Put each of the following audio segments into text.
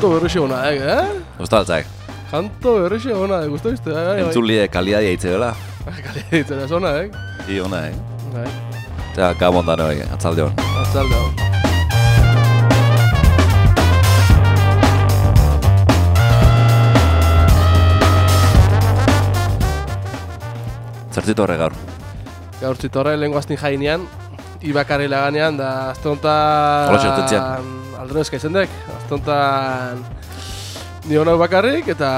kanto berrixo hona, Gustaltzak. Kanto berrixo hona, gustu izte, Entzulie kalidadia hitze dela. Kalidadia hitze da, zona, I ona, Bai. Eta gabon da noi, atzalde hon. Atzalde hon. Zertzitu horre gaur? Gaur zitorre lehenko aztin jainean, Ibakarri laganean, da aztontan... Hola txertetzean. Aldrezka izendek, aztontan... Ni hona bakarrik, eta...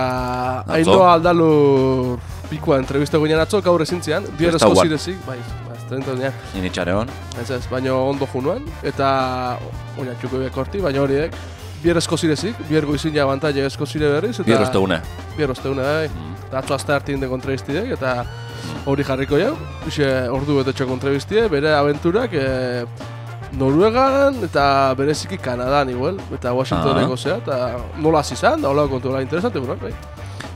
Atzo? Aindoa Aldalur pikua entrevista guinean atzo, gaur ezintzean, bierrezko zirezik, bai, aztentonean. Initxare hon? Ez, baina ondo junuan, eta... Oina txuko bekorti, baina horiek, bierrezko zirezik, biergo izin ja abantaia ezko zire berriz, eta... Bierrozte une. Bierrozte une, bai. Eta atzo azte hartin deko entrevistidek, eta... Hori jarriko jau, ordu betetxo kontrabiztie, bere aventurak Noruegan eta bereziki Kanadan igual, eta Washingtoneko zea, eta nola zizan, da hola kontu hola interesante, bai.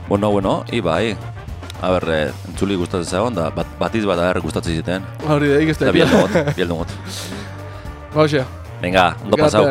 Bueno, ibai. A ber, entzuli gustatzen zagon, da batiz bat gustatzen ziten. Hori da, ikizte. Da bieldugot. Hauxea. Venga, ondo pasau.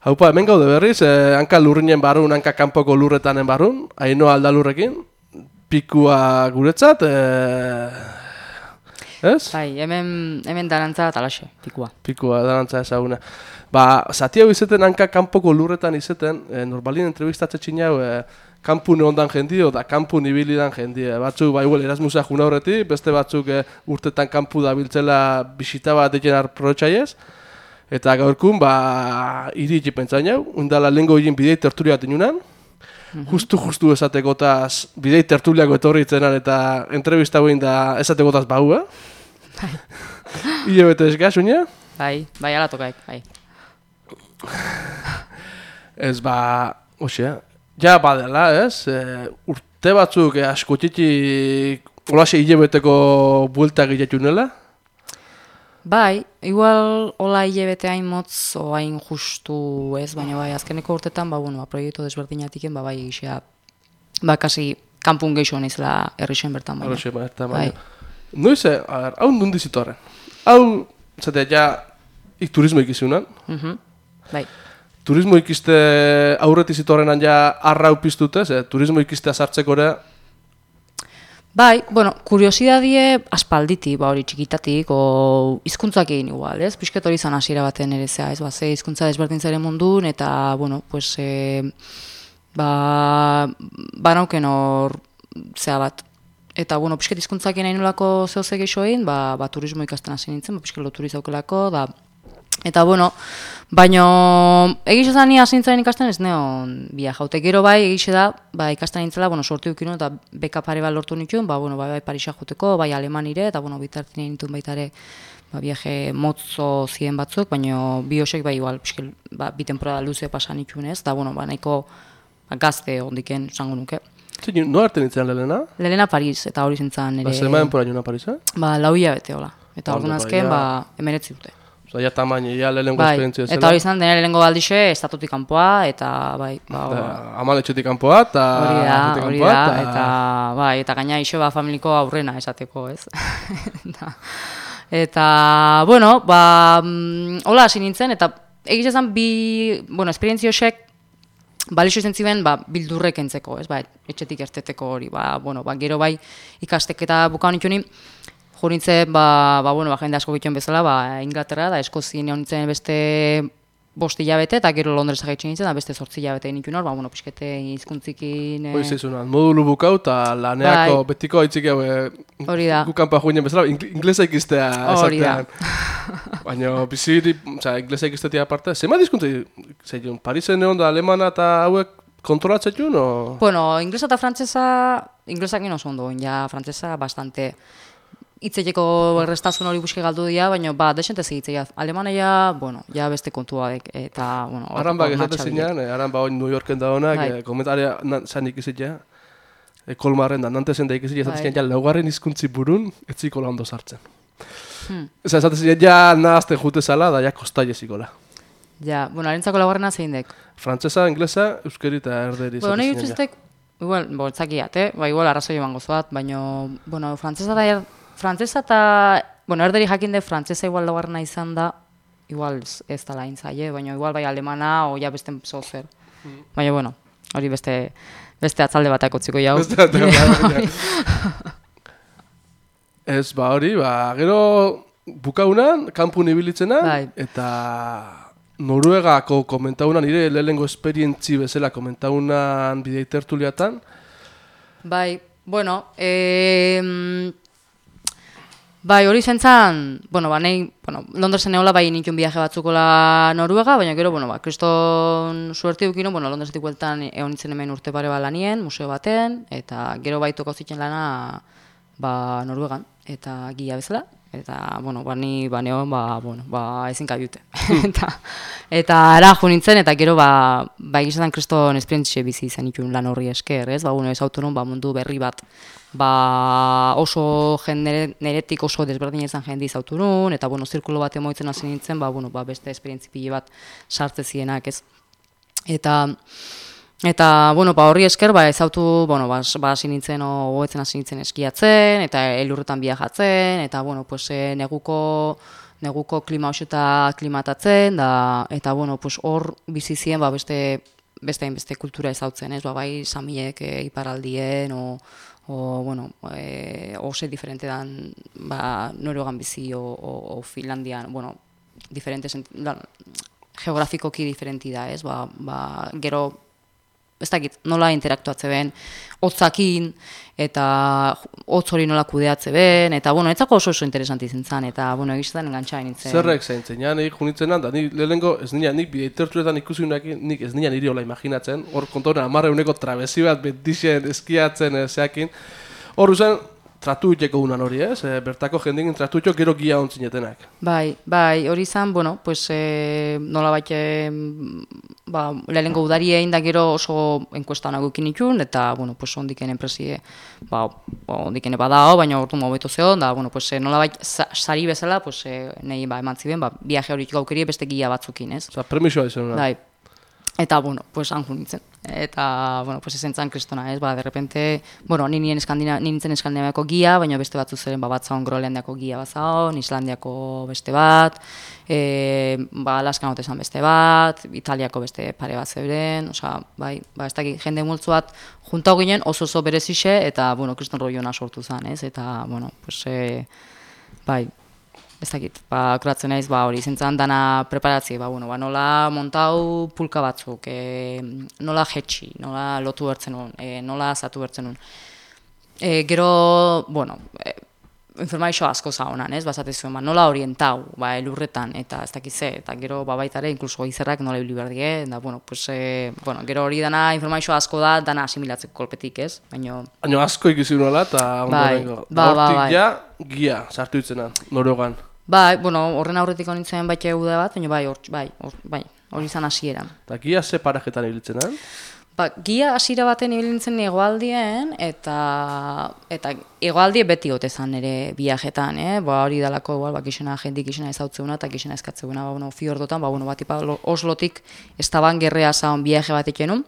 Haupa, hemen gaude berriz, hanka lurrinen barrun, hanka kanpoko lurretanen barrun, Ainhoa Aldalurrekin, pikua guretzat, ez? Bai, hemen darantza talaxe, pikua. Pikua, darantza ezaguna. Ba, zati hau izeten hanka kanpoko lurretan izeten, normalin entrevistatze txinau, kanpune ondan jendio, da kanpun ibilidan jendio. Batzuk, ba, igual, Erasmusa juna horretik, beste batzuk urtetan kanpu da biltzela bisita bat deken arprotxaiez. Eta gaurkun, ba, iri pentsain hau, undala lehenko egin bidei tertulia bat inunan. Justu esatekotaz bidei tertuliako etorri itzenan eta entrevista guen da esatekotaz bau, Bai. Ile bete eskaz, unia? Bai, ala tokaik, bai. Ez, ba, osea, ja badela, ez? Urte batzuk askotxitik olase ile beteko bueltak giletunela? Bai, igual hola hilebete hain motz o hain justu ez, baina bai, azkeneko urtetan, ba, bueno, proiektu desberdinatiken, ba, bai, gixea, ba, kasi, kanpun geixo nizela errixen bertan, baina. Errixen bertan, baina. Noiz, hau nundi zitorren? Hau, zatea, ja, turismo ikizunan. Bai. Turismo ikiste aurreti zitorrenan ja arrau piztutez, turismo ikistea sartzeko ere. Bai, bueno, kuriosidadie aspalditi, ba hori txikitatik, o hizkuntzak egin igual, ez? Pisket hori izan hasiera baten ere zea, ez? Ba, ze hizkuntza desberdintzaren mundun, eta, bueno, pues, banauken hor zea bat. Eta, bueno, pisket hizkuntzak egin nolako zehose geixo egin, ba, turismo ikasten hasi nintzen, ba, pisket loturi zaukelako, da... Eta, bueno, baino, egixe da ni hasi nintzen ikasten ez neon bia jaute. Gero bai, egixe da, ba, ikasten nintzela, bueno, sortu dukinu eta beka pare bat lortu nituen, ba, bueno, bai Parisa joteko, bai Alemanire, eta, bueno, bitartin egin nituen baitare, ba, viaje motzo ziren batzuk, baino, bi hosek, bai, igual, piskel, ba, bi temporada luze pasan nituen ez, eta, bueno, ba, nahiko ba, gazte hondiken zango nuke. Zin, no arte nintzen Lelena? Lelena Paris, eta hori zintzen ere... Ba, zema denpora juna Parisa? Ba, 4 hilabete hola. Eta orduan azken, ba, 19 dute. Osa, ja tamaino, ja lehenko esperientzia zela. Eta hori izan, dena lehenko baldixe, estatutik kanpoa, eta bai... Amaletxetik kanpoa, eta... Hori da, eta... Bai, eta gaina iso, ba, familiko aurrena esateko, ez? Eta, bueno, ba... Hola, hasi nintzen, eta egiz ezan bi... Bueno, esperientziosek... Balixo izan ziren, ba, bildurrek entzeko, ez? Ba, etxetik erteteko hori, ba, bueno, ba, gero bai ikasteketa bukaun itxunin, jo nintzen, jende asko gituen bezala, Inglaterra, da Eskozien egon nintzen beste 5 hilabete, eta gero Londresa gaitxen nintzen, da beste 8 hilabete nintzen hor, pixkete hizkuntzikin... Hoi zeizunan, modulu bukau eta laneako betiko haitzik hau gukanpa joinen bezala, inglesa ikistea esatean. Baina, biziri, inglesa ikistetia aparte, zema dizkuntza, zeiun, Parisen egon da alemana eta hauek kontrolatzen o? Bueno, inglesa eta frantzesa, inglesak oso ondo, ja, frantzesa bastante... Itzeteko errestasun hori buske galdu dira, baina desente segitzea. Alemania, ja beste kontua eta, Arranbak esate zinean, Arranba hori New Yorken da honak, komentaria zan ikizitea, Kolmarren da, Nantesen da ikizitea, esate zinean, laugarren hizkuntzi burun, etziko la ondo sartzen. Esate zinean, ja nahazten jute zala, da ja kostaile zikola. Ja, harentzako laugarrena zein dek? Frantzesa, inglesa, euskeri eta erderi esate zinean, ja. Igual, etzakiat, igual arrazoi emango zoat, baina, frantzesa eta, erderi jakin dut frantzesa igual laugarrena izan da, igual ez da lain zaie, baina igual bai alemana o ja beste zozer. Baina, hori beste atzalde batak otziko jau. Beste atzalde batak, Ez, hori, gero bukaunan, kanpun ibilitzenan, eta Noruegako komentaunan, nire lehenengo esperientzi bezala komentaunan bidei tertuliatan. Bai, hori zentzan, Londresen eola bai nintun viaje batzukola Noruega, baina gero, kriston suerti dukino, Londresetik bueltan egon nintzen hemen urte pare lanien, museo baten, eta gero bai toko zitzen lana Noruegan, eta gila bezala, eta, ni baneon, ezin kabiute. Eta ara jo nintzen, eta gero, egizetan kriston esperientzia bizi izan nituen lan horri esker, ez? Ez autonom, mundu berri bat, oso neretik oso desberdin izan jende izauturun, eta, zirkulo bat emoitzen hasi nintzen, beste esperientzi pile bat sartze zienak, ez? Eta, horri esker, ezautu, hasi nintzen, goetzen hasi nintzen eskiatzen, eta elurretan biajatzen, eta, neguko klima oso eta klimatatzen, eta, hor bizizien, beste kultura ezautzen, ez? Bai, samiek iparaldien, ose diferente dan, Noruegan bizi, o Finlandian, diferente, geografikoki diferenti da, ez? Gero, ez dakit, nola interaktuatze ben, hotzakin, eta hotz hori nola kudeatze ben, eta, etzako oso interesanti zentzan, eta, egizetan engantxain nintzen. Zerrek zaintzen, nik junitzen da, nik lehenengo, ez nina, nik bideitertuetan ikusi nik ez nina niri hola imaginatzen, hor kontoren 10 trabezi bat betixen eskiatzen zeakin, hor usan, tratu iteko unan hori, ez? Bertako jendingin tratu iteko gero gia ontzinetenak. Bai, hori izan, nola baite, lehenengo udarien da gero oso enkuesta honak ukin itun, eta, ondiken enpresie, ondikene badao, baina ordu mobeto zeon, da, nola baita, sari bezala, nahi eman ziben, viaje hori gaukeri beste gia batzukin, ez? Osa, permisoa izan una. Bai. Eta, han jo nintzen. Eta, ezen zan kristona, ez? De repente, nintzen Eskandinaviako gia, baina beste batzu zeren, bat zaon Groenlandiako gia bat zaon, Islandiako beste bat, Alaskan hotezan beste bat, Italiako beste pare bat zeuren, oza, ez dakit, jende multzu bat juntau ginen oso berezixe, eta, kriston roiona sortu zen, ez? Eta, ez dakit, akuratzen naiz, hori zentzan dana preparatzi, nola montau pulka batzuk, nola jetxi, nola lotu bertzen nun, nola zatu bertzen nun. Gero, informazio asko zahonan, ez, bazate zuen, nola orientau, elurretan, eta ez dakit ze, eta gero baitare, inkluso izerrak nola ibili behar die, eta, gero hori dana informazio asko da, dana asimilatzeko kolpetik, ez, baina asko ikusi nuela, eta ondorengo, hortik ja, gia, sartu itzenan, Noruegan. Horren aurretik honintzen baita eguda bat, baina hori izan hasieran. Eta gia ze parajetan ibiltzenan? Gia hasiera baten ibiltzen egoaldien, eta egoaldie beti gotezan ere viajetan, hori dalako, gizena jendik gizena ezautzeuna, eta gizena eskatzeuna, fiordotan, Oslotik estaban gerrea zaun viaje bat ekenun,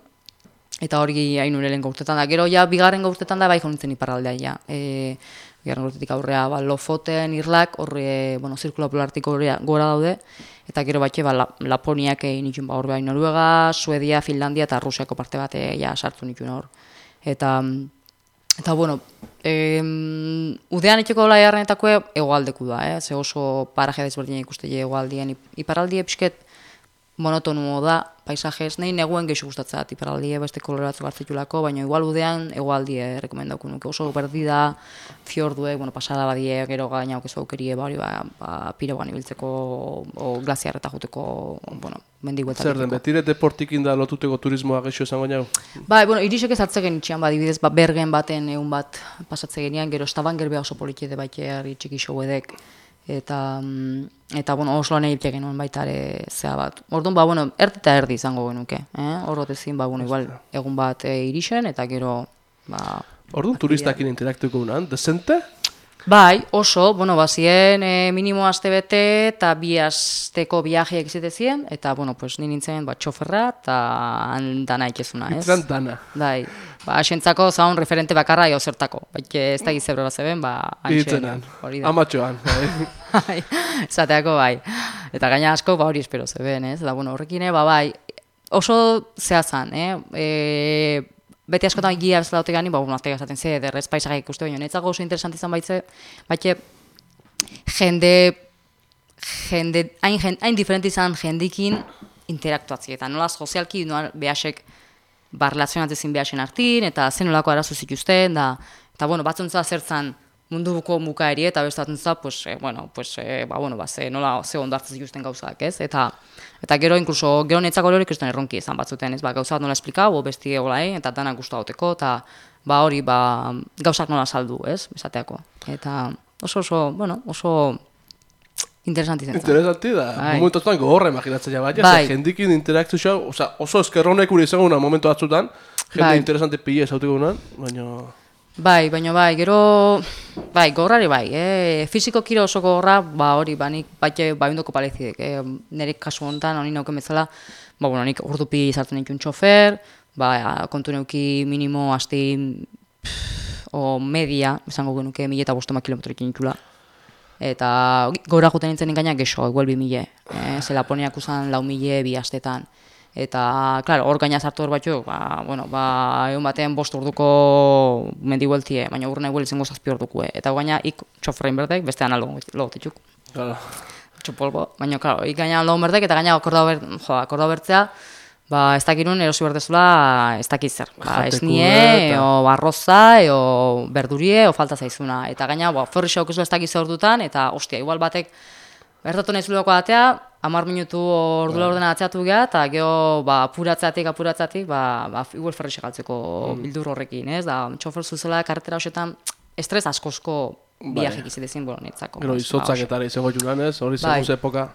eta hori hain urelen gaurtetan da. Gero, bigarren gaurtetan da, bai honintzen iparraldea, bigarren gaurtetik aurrea, Lofoten, Irlak, horre, zirkulo polartiko gora daude, eta gero batxe, Laponiak nituen hor behar Noruega, Suedia, Finlandia eta Rusiako parte bat sartu nituen hor. Eta Eta, bueno, udean itxeko laiarrenetako egoaldeku da, ze oso paraje desberdina ikuste egoaldien. Iparraldie pixket monotonu da, paisajez, nahi neguen geixo gustatzat, iparraldie beste koloratzu gartzitulako, baina igual udean egoaldie rekomendauko nuke. Oso berdi da, fiorduek, pasada badie, gero gaina okezu aukerie, pirogan ibiltzeko, o glaziarreta juteko, mendiguetak. Zer den, betire deportikin da lotuteko turismoa geixo esango nau? Irisek ez atzegen itxian, dibidez, bergen baten egun bat pasatze genian, gero Stavanger beha oso politxede baiteari txiki showedek, eta oso lan egite genuen baita ere zea bat. Orduan, erdi eta erdi izango genuke, horrotezin, igual egun bat irisen, eta gero, Orduan turistakin interaktuko unan, desente? Bai, oso, bazien minimo aste bete eta 2 asteko viajeak izitezien, eta, ni nintzen txoferra eta dana ikezuna, ez? Itran dana. Bai, asentzako zaun referente bakarra jo zertako, ez da gizebro bat zeben, Itzenan, amatxoan. Bai, zateako bai. Eta gaina asko, hori espero zeben, ez? Eta, horrekine, bai, oso zehazan, beti askotan egia bezala dute gani, aztega esaten ze, derrez paisagai ikuste baino. Netzago oso interesant izan baitze, jende, hain diferente izan jendikin interaktuatzi. Eta nola sozialki, nola behasek relazionatzezin behasen hartin, eta zen nolako arazo zituzten, eta batzuntza zertzan munduko mukaeri, eta bestatzen nola ze ondo hartzen zituzten gauzak, ez? Eta gero, inkluso, gero netzako hori ikusten erronki izan batzuten, ez? Gauzak nola esplikau, besti egolain, eta danak guztu hauteko, eta gauzak nola saldu, ez? Esateako. Eta oso interesanti zen. Interesanti da, momentuan gogorra imaginatzea baina, jendikin interakzioa, oso eskerronek uri izango una momentu batzutan, jende interesante pila esautiko unan, baina... Baina gero, gogorrari fiziko kiro oso gogorra, hori, nik baiundoko palezidek, nire kasu honetan, honi nauken bezala, nik urdupi izartzen ikun txofer, kontu neuki minimo asti, o media, esango genuke 1.500 kilometro ikin ikula. Eta gora juten nintzen gainak gexo, igual 2.000, ze Laponiak usan 4.000 bi astetan. Eta, klaro, hor gaina sartu hor batzuk, egun batean 5 orduko mendibueltie, baina urrena igual izango 7 ordukue. Eta gaina ik txoferrein berdek, bestean logotetxuk. Txopolbo, baina, klaro, ik gaina logon berdek, eta gaina akordau bertzea, ez dakirun erosi berdezula, ez dakit zer. Esnie, o arroza, o berdurie, o falta zaizuna. Eta gaina, ferrixo okezu ez dakit zer ordutan, eta, ostia, igual batek, bertatu nahi zuleko batea, 10 minutu ordula ordena atzeatu geha, eta geho apuratzatik, igual ferrixe galtzeko bildur horrekin, ez? Da, txofer zuzela karretera hoxetan, estres askozko biajik izitezin, netzako. Gero, izotzak eta izango junan, ez? Hori segun ze epoka?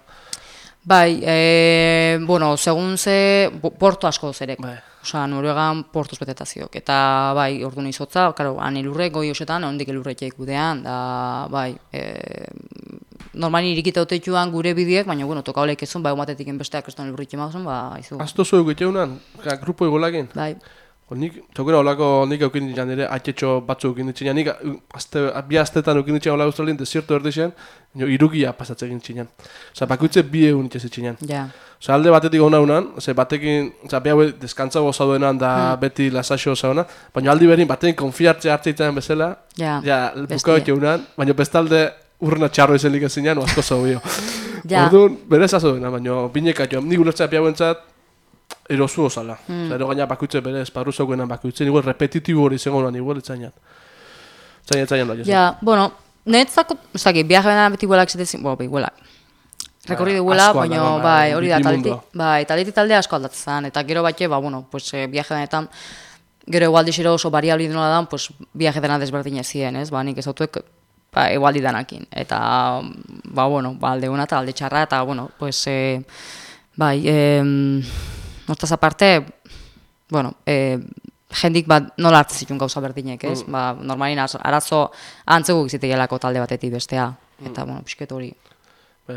Segun ze portu asko zerek. Osa, Noruegan portuz betetazioak. Eta, orduan izotza, han elurrek, goi hoxetan, ondik elurrek gudean, da, normali irikita oteituan gure bideak, baina, toka oleik ezun, umatetik enbesteak ez duen elurrik emazun, izu. Azto zuen guteunan, grupo egolakin? Nik, tokera olako, nik eukin ditzen ere, atxetxo batzuk eukin ditzen, nik 2 astetan eukin ditzen olako Australien, desierto erdixen, irugia pasatze egin ditzen. Osa, bakoitze 2 egun itxez ditzen. Osa, alde batetik hona unan, batekin, behau deskantzago zaudenan da beti lasaxo zauna, baina aldi berin batekin konfiartzea hartzeitean bezala, bukau eki unan, baina bestalde urrena txarro izenik ezinean, asko zaubio. Orduan, berez azoena, baina bineka joan, nik ulertzea behau entzat, erosu osala. Ero gaina bakoitze bere esparru zaukenan bakoitzen, igual repetitibo hori zengo nan, igual etzainan. Etzainan da, netzako, biaje benan beti huelak zetezin, huelak. Rekorri duela, baina hori da, taldetik talde asko aldatzen, eta gero batxe, biaje benetan, gero egualdixero oso variabli denola dan, biaje dena desberdin ezien, ez? Nik ezautuek egualdi danakin. Eta, alde una eta alde txarra, eta, hortaz aparte, jendik nola hartzen zituen gauza berdinek, ez? Normalin arazo antzeko gizitegelako talde batetik bestea. Eta, pixket hori.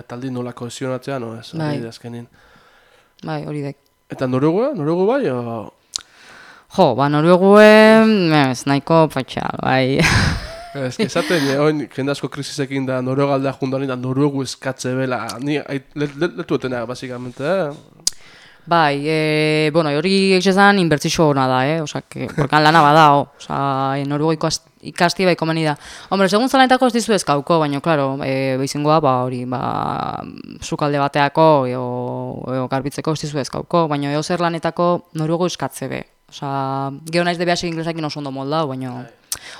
Taldi nola kohesionatzea, no ez? Azkenin. Hori dek. Eta Noruegu? Noruegu bai, o...? Noruegu, ez nahiko patxa, bai. Ez, esaten, jende asko krisisekin da Noruega aldea junduan da Noruegu eskatze bela. Ni letu etena, basikamente, Bai, bueno, hori egizan inbertzixo hona da, osak, porkan lana bada, Noruego ikasti bai komeni da. Hombre, segun zalanetako ez dizu ezkauko, baina, klaro, behizingoa, hori, sukalde bateako, eo garbitzeko ez dizu ezkauko, baina eo zer lanetako Noruego eskatze be. Gero naiz debe hasi inglesakin oso ondo moldau, baina...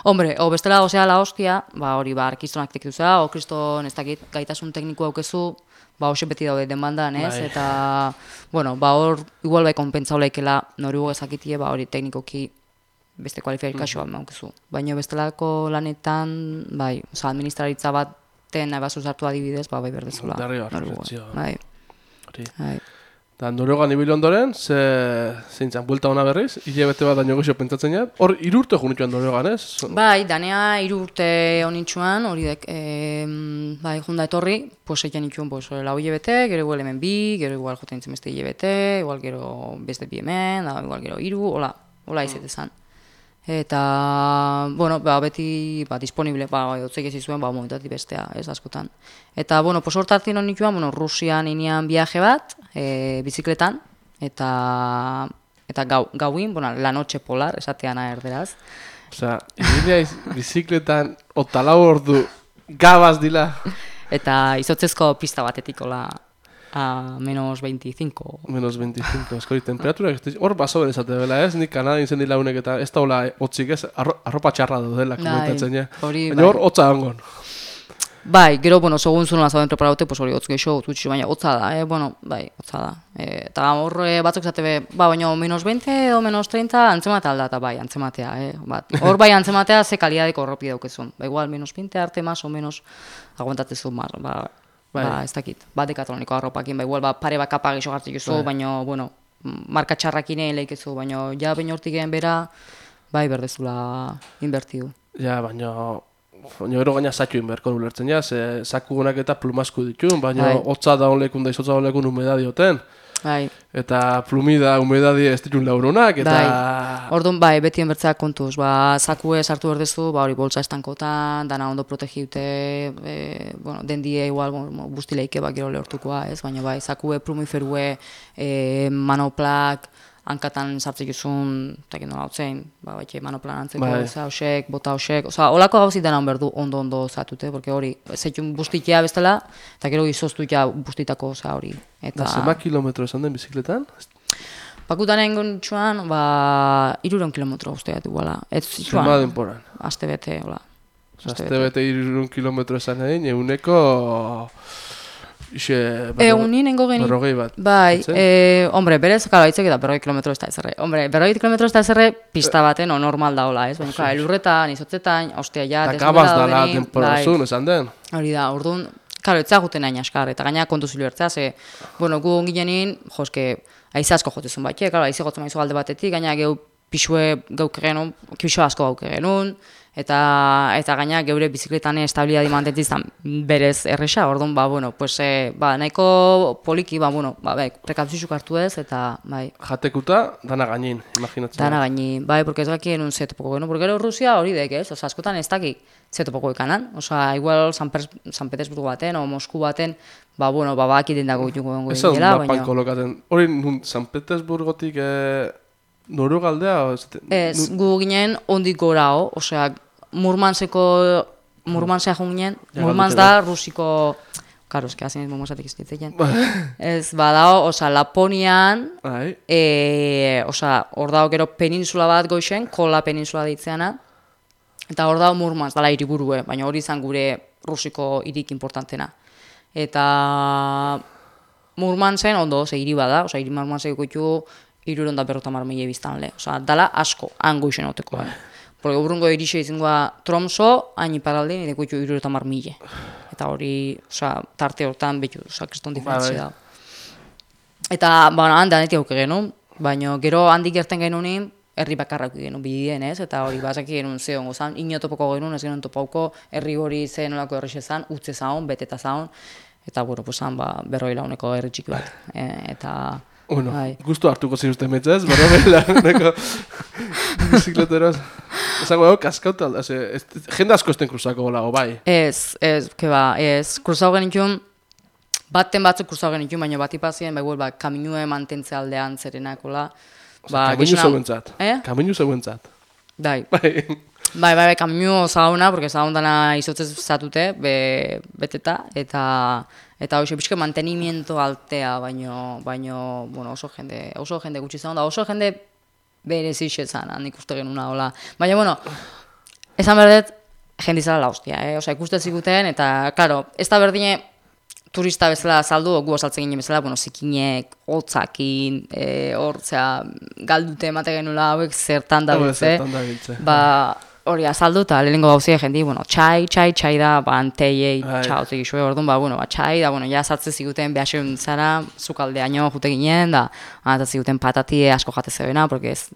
Hombre, bestela gozea la hostia, hori, arkistonak tekituzea, kriston ez dakit gaitasun tekniko aukezu, hoxe beti daude demandan, ez? Eta, bueno, hor, igual bai konpentsau laikela Noruego ezakitie, hori teknikoki beste kualifikazioa maukezu. Baina bestelako lanetan, bai, administraritza baten nahi bazu zartu adibidez, bai berdezula. Noruego. Bai. Eta Noruegan ibili ondoren, zeintzan, buelta hona berriz, hilabete bat daño gexo pentsatzen jat. Hor, 3 urte junitxuan Noruegan, ez? Bai, danea 3 urte honitxuan, hori dek, bai, junda etorri, pues egin itxuan, pues, lau hilabete, gero igual hemen bi, gero igual joten nintzen beste hilabete, igual gero beste bi hemen, igual gero 3, hola izetezan. Eta, bueno, beti disponible, otzeik ez izuen, momentatik bestea, ez askotan. Eta, bueno, hortartin hon nituen, Rusian inean viaje bat, bizikletan, eta gauin, la noche polar, esateana erderaz. Osea, ineaiz bizikletan, otalau ordu, gabaz dila. Eta izotzezko pista batetik, a menos 25. Menos 25, eskori, temperaturak, hor baso berezate bela, ez? Nik Kanadin zen dila unek eta ez da hola hotzik, ez? Arropa txarra dudela, komentatzen, ja. Baina hor, hotza ongon. Bai, gero, segun zunola zauden preparaute, hori hotz geixo, gutxi, baina hotza da, hotza da. Eta hor batzuk zate be, baina menos 20 edo menos 30 antzematea aldata, bai, antzematea, hor bai antzematea ze kalidadeko horropi daukezun. Igual, menos 20 arte, más o menos, aguantatezun, ez dakit, dekatroniko arropakin, igual pare bat kapa gixo gartzik ezu, baina, marka txarrakin egin lehikezu, baina, ja, baina hortik egin bera, bai, berdezula inbertiu. Ja, baina ero gaina zatxu inberko ulertzen, ja, zaku honak eta plumasku ditun, baina hotza da honlekun da izotza honlekun humedadi hoten. Eta plumida, humedadi ez ditun lauronak, eta... Orduan, beti enbertzeak kontuz, zakue sartu berdezu, hori boltsa estankotan, dana ondo protegite, dendie igual, bustileike gero lehortukoa, ez? Baina zakue, plumiferue, manoplak, hankatan sartzik izun, eta nola hotzein, manoplan antzeko, hausek, bota hausek, holako gauzit dena berdu ondo zatute, porque hori, zeitun bustitea bestela, eta gero izoztutea bustitako hori. Da, zema kilometro esan den bizikletan? Pakutan egin txuan, 300 kilometro usteat iguala. Zema denporan? Aste bete, hola. Aste bete 300 kilometro esan egin, eguneko... Egunin nengo genin. Berrogei bat. Bai, hombre, berez, kala, hitzek eta 40 kilometro ez da ezerre. Hombre, 40 kilometro ez da ezerre pista baten normal daola, ez? Baina, elurretan, izotzetan, ostia ja, desnura da dela temporazun, esan den. Hori da, orduan, kalo, etzaguten nahi askar, eta gaina kontuzilu ertzea, ze, gu onginenin, joske, aize asko jotezun bat, kalo, aize gotzen maizu alde batetik, gaina geu pixue gauk genuen, pixue asko gauk genuen, eta gaina geure bizikletan estabilidadi mantentizan berez erresa, orduan, nahiko poliki, prekautzizuk hartu ez, eta, bai. Jatekuta, dana gainin, imaginatzen. Dana gainin, bai, porque ez gakien un zetopoko genuen, porque gero Rusia hori dek, ez, askotan ez dakik zetopoko ekanan, igual San Petersburgo baten, o Mosku baten, bakiten dago ituko gengo egin dela, baina... Ez kolokaten, hori San Petersburgotik Noruega aldea? Ez, gu ginen ondik gorao, osea, Murmansea joan ginen, Murmans da Rusiko... Karo, eski hazin ez momosatik ez ditzen. Ez, badao, osea, Laponian, osea, hor dago gero peninsula bat goixen, Kola peninsula ditzeana, eta hor dago Murmans, dala hiriburue, baina hori izan gure Rusiko hirik importantena. Eta Murmansen ondo, ze hiri bada, osea, hiri Murmanseko ditu 350.000 biztanle. Osea, dala asko, hango izen oteko. Porque urrungo irixe izangoa Tromso, hain iparaldein, edeko ditu 350.000. Eta hori, osea, tarte hortan betu, osea, kriston diferentzia da. Eta, handanetik auke genuen, baina gero handik gerten genuen, herri bakarrak genuen bidien, ez? Eta hori, bazaki genuen zehongo zan, inotopoko genuen, ez genuen topauko, herri hori zen olako errexe zan, utze zaun, beteta zaun, eta, zan, 40 launeko herri txiki bat. Eta... Bueno, gustu hartuko ziruzten metzaz, berrogei bizikleteroz. Ezago, kaskauta, jende asko esten kruzako lago, bai? Ez, keba, ez, kruzau genitxun, baten batzuk kursau genitun, baina bat ipazien, kaminue mantentze aldean zerenakola. Kaminu zeuentzat. Kaminu zeuentzat. Bai. Bai, kaminu zauna, porque zaundana izotzez zatute, beteta, eta hoxe pixka mantenimiento altea, baino, bueno, oso jende gutxi zaunda, oso jende berezix ezan, nik uste genuna, hola. Baina, bueno, esan berdet, jendizala la hostia, Osa, ikuste zikuten, eta, klaro, ez da berdine turista bezala saldu, gu osaltzen ginen bezala, bueno, zikinek, hotzakin, hortzea, galdute emate genula hauek zertan da biltze. Hori azaldu eta lehenengo gauzia jendi, bueno, txai da, anteiei txautik isue, orduan, txai da, ja sartze ziguten behasen zara, zukaldeaino jute ginen, da, ziguten patatie asko jate zebena, porque ez,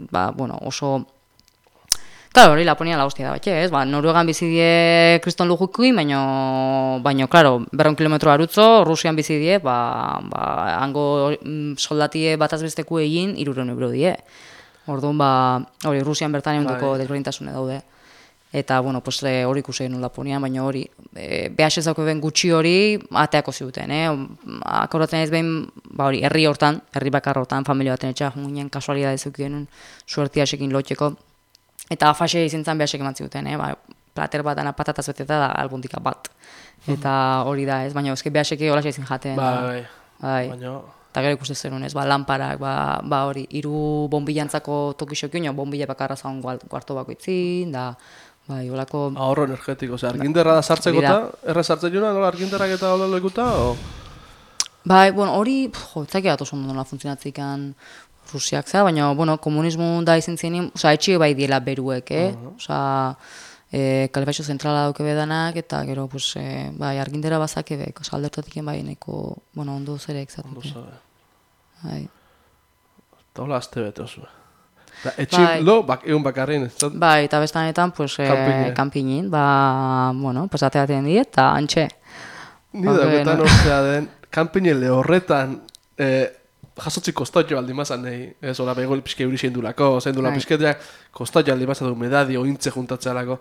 oso... Claro, hori Laponia la hostia da batxe, ez? Noruegan bizidie kriston lujukuin, baino, claro, 200 kilometro arutzo, Rusian bizidie, hango soldatie bataz besteku egin, 300 euro die. Orduan, hori, Rusian bertan egunduko desberdintasune daude. Eta, bueno, hori ikusi genuen Laponian, baina hori, behas ezauko ben gutxi hori, ateako ziguten, Akordatzen ez behin, hori, herri hortan, herri bakar hortan, familia baten etxea, junginen kasualidad ezuki genuen, suertiasekin lotxeko. Eta fase izintzen behasek eman ziguten, plater bat dana patataz beteta da albundika bat. Eta hori da, ez, baina ezke behaseke hola izin jaten. Bai. Eta gero ikusten zenun, ez, lamparak, hori, 3 bombilantzako tokixokin, bombila bakarra zaun kuarto bakoitzin, da, bai, holako... Ahorro energetiko, arginderra da sartzeko eta, erre sartzen juna, nola arginderrak eta hola loikuta, o? Bai, hori, etzaki bat oso nola funtzionatzikan Rusiak zera, baina, komunismo da izin zenin, etxio bai diela beruek, Kalefaxo zentrala dauke bedanak, eta gero, bai, argindera bazake bek, aldertatik bai neko, ondo zerek zatute. Bai. Eta hola azte bete oso. Etxin lo, egun bakarrin, ez? Bai, eta bestanetan, kanpinin, ateaten diet, eta antxe. Ni dagoetan orzea den, kanpinen lehorretan, jasotzi kostotio aldi mazan nahi, ez hori begol pixke euri zeindulako, zeindula pixketeak kostotio aldi mazan du medadi, ointze juntatzealako.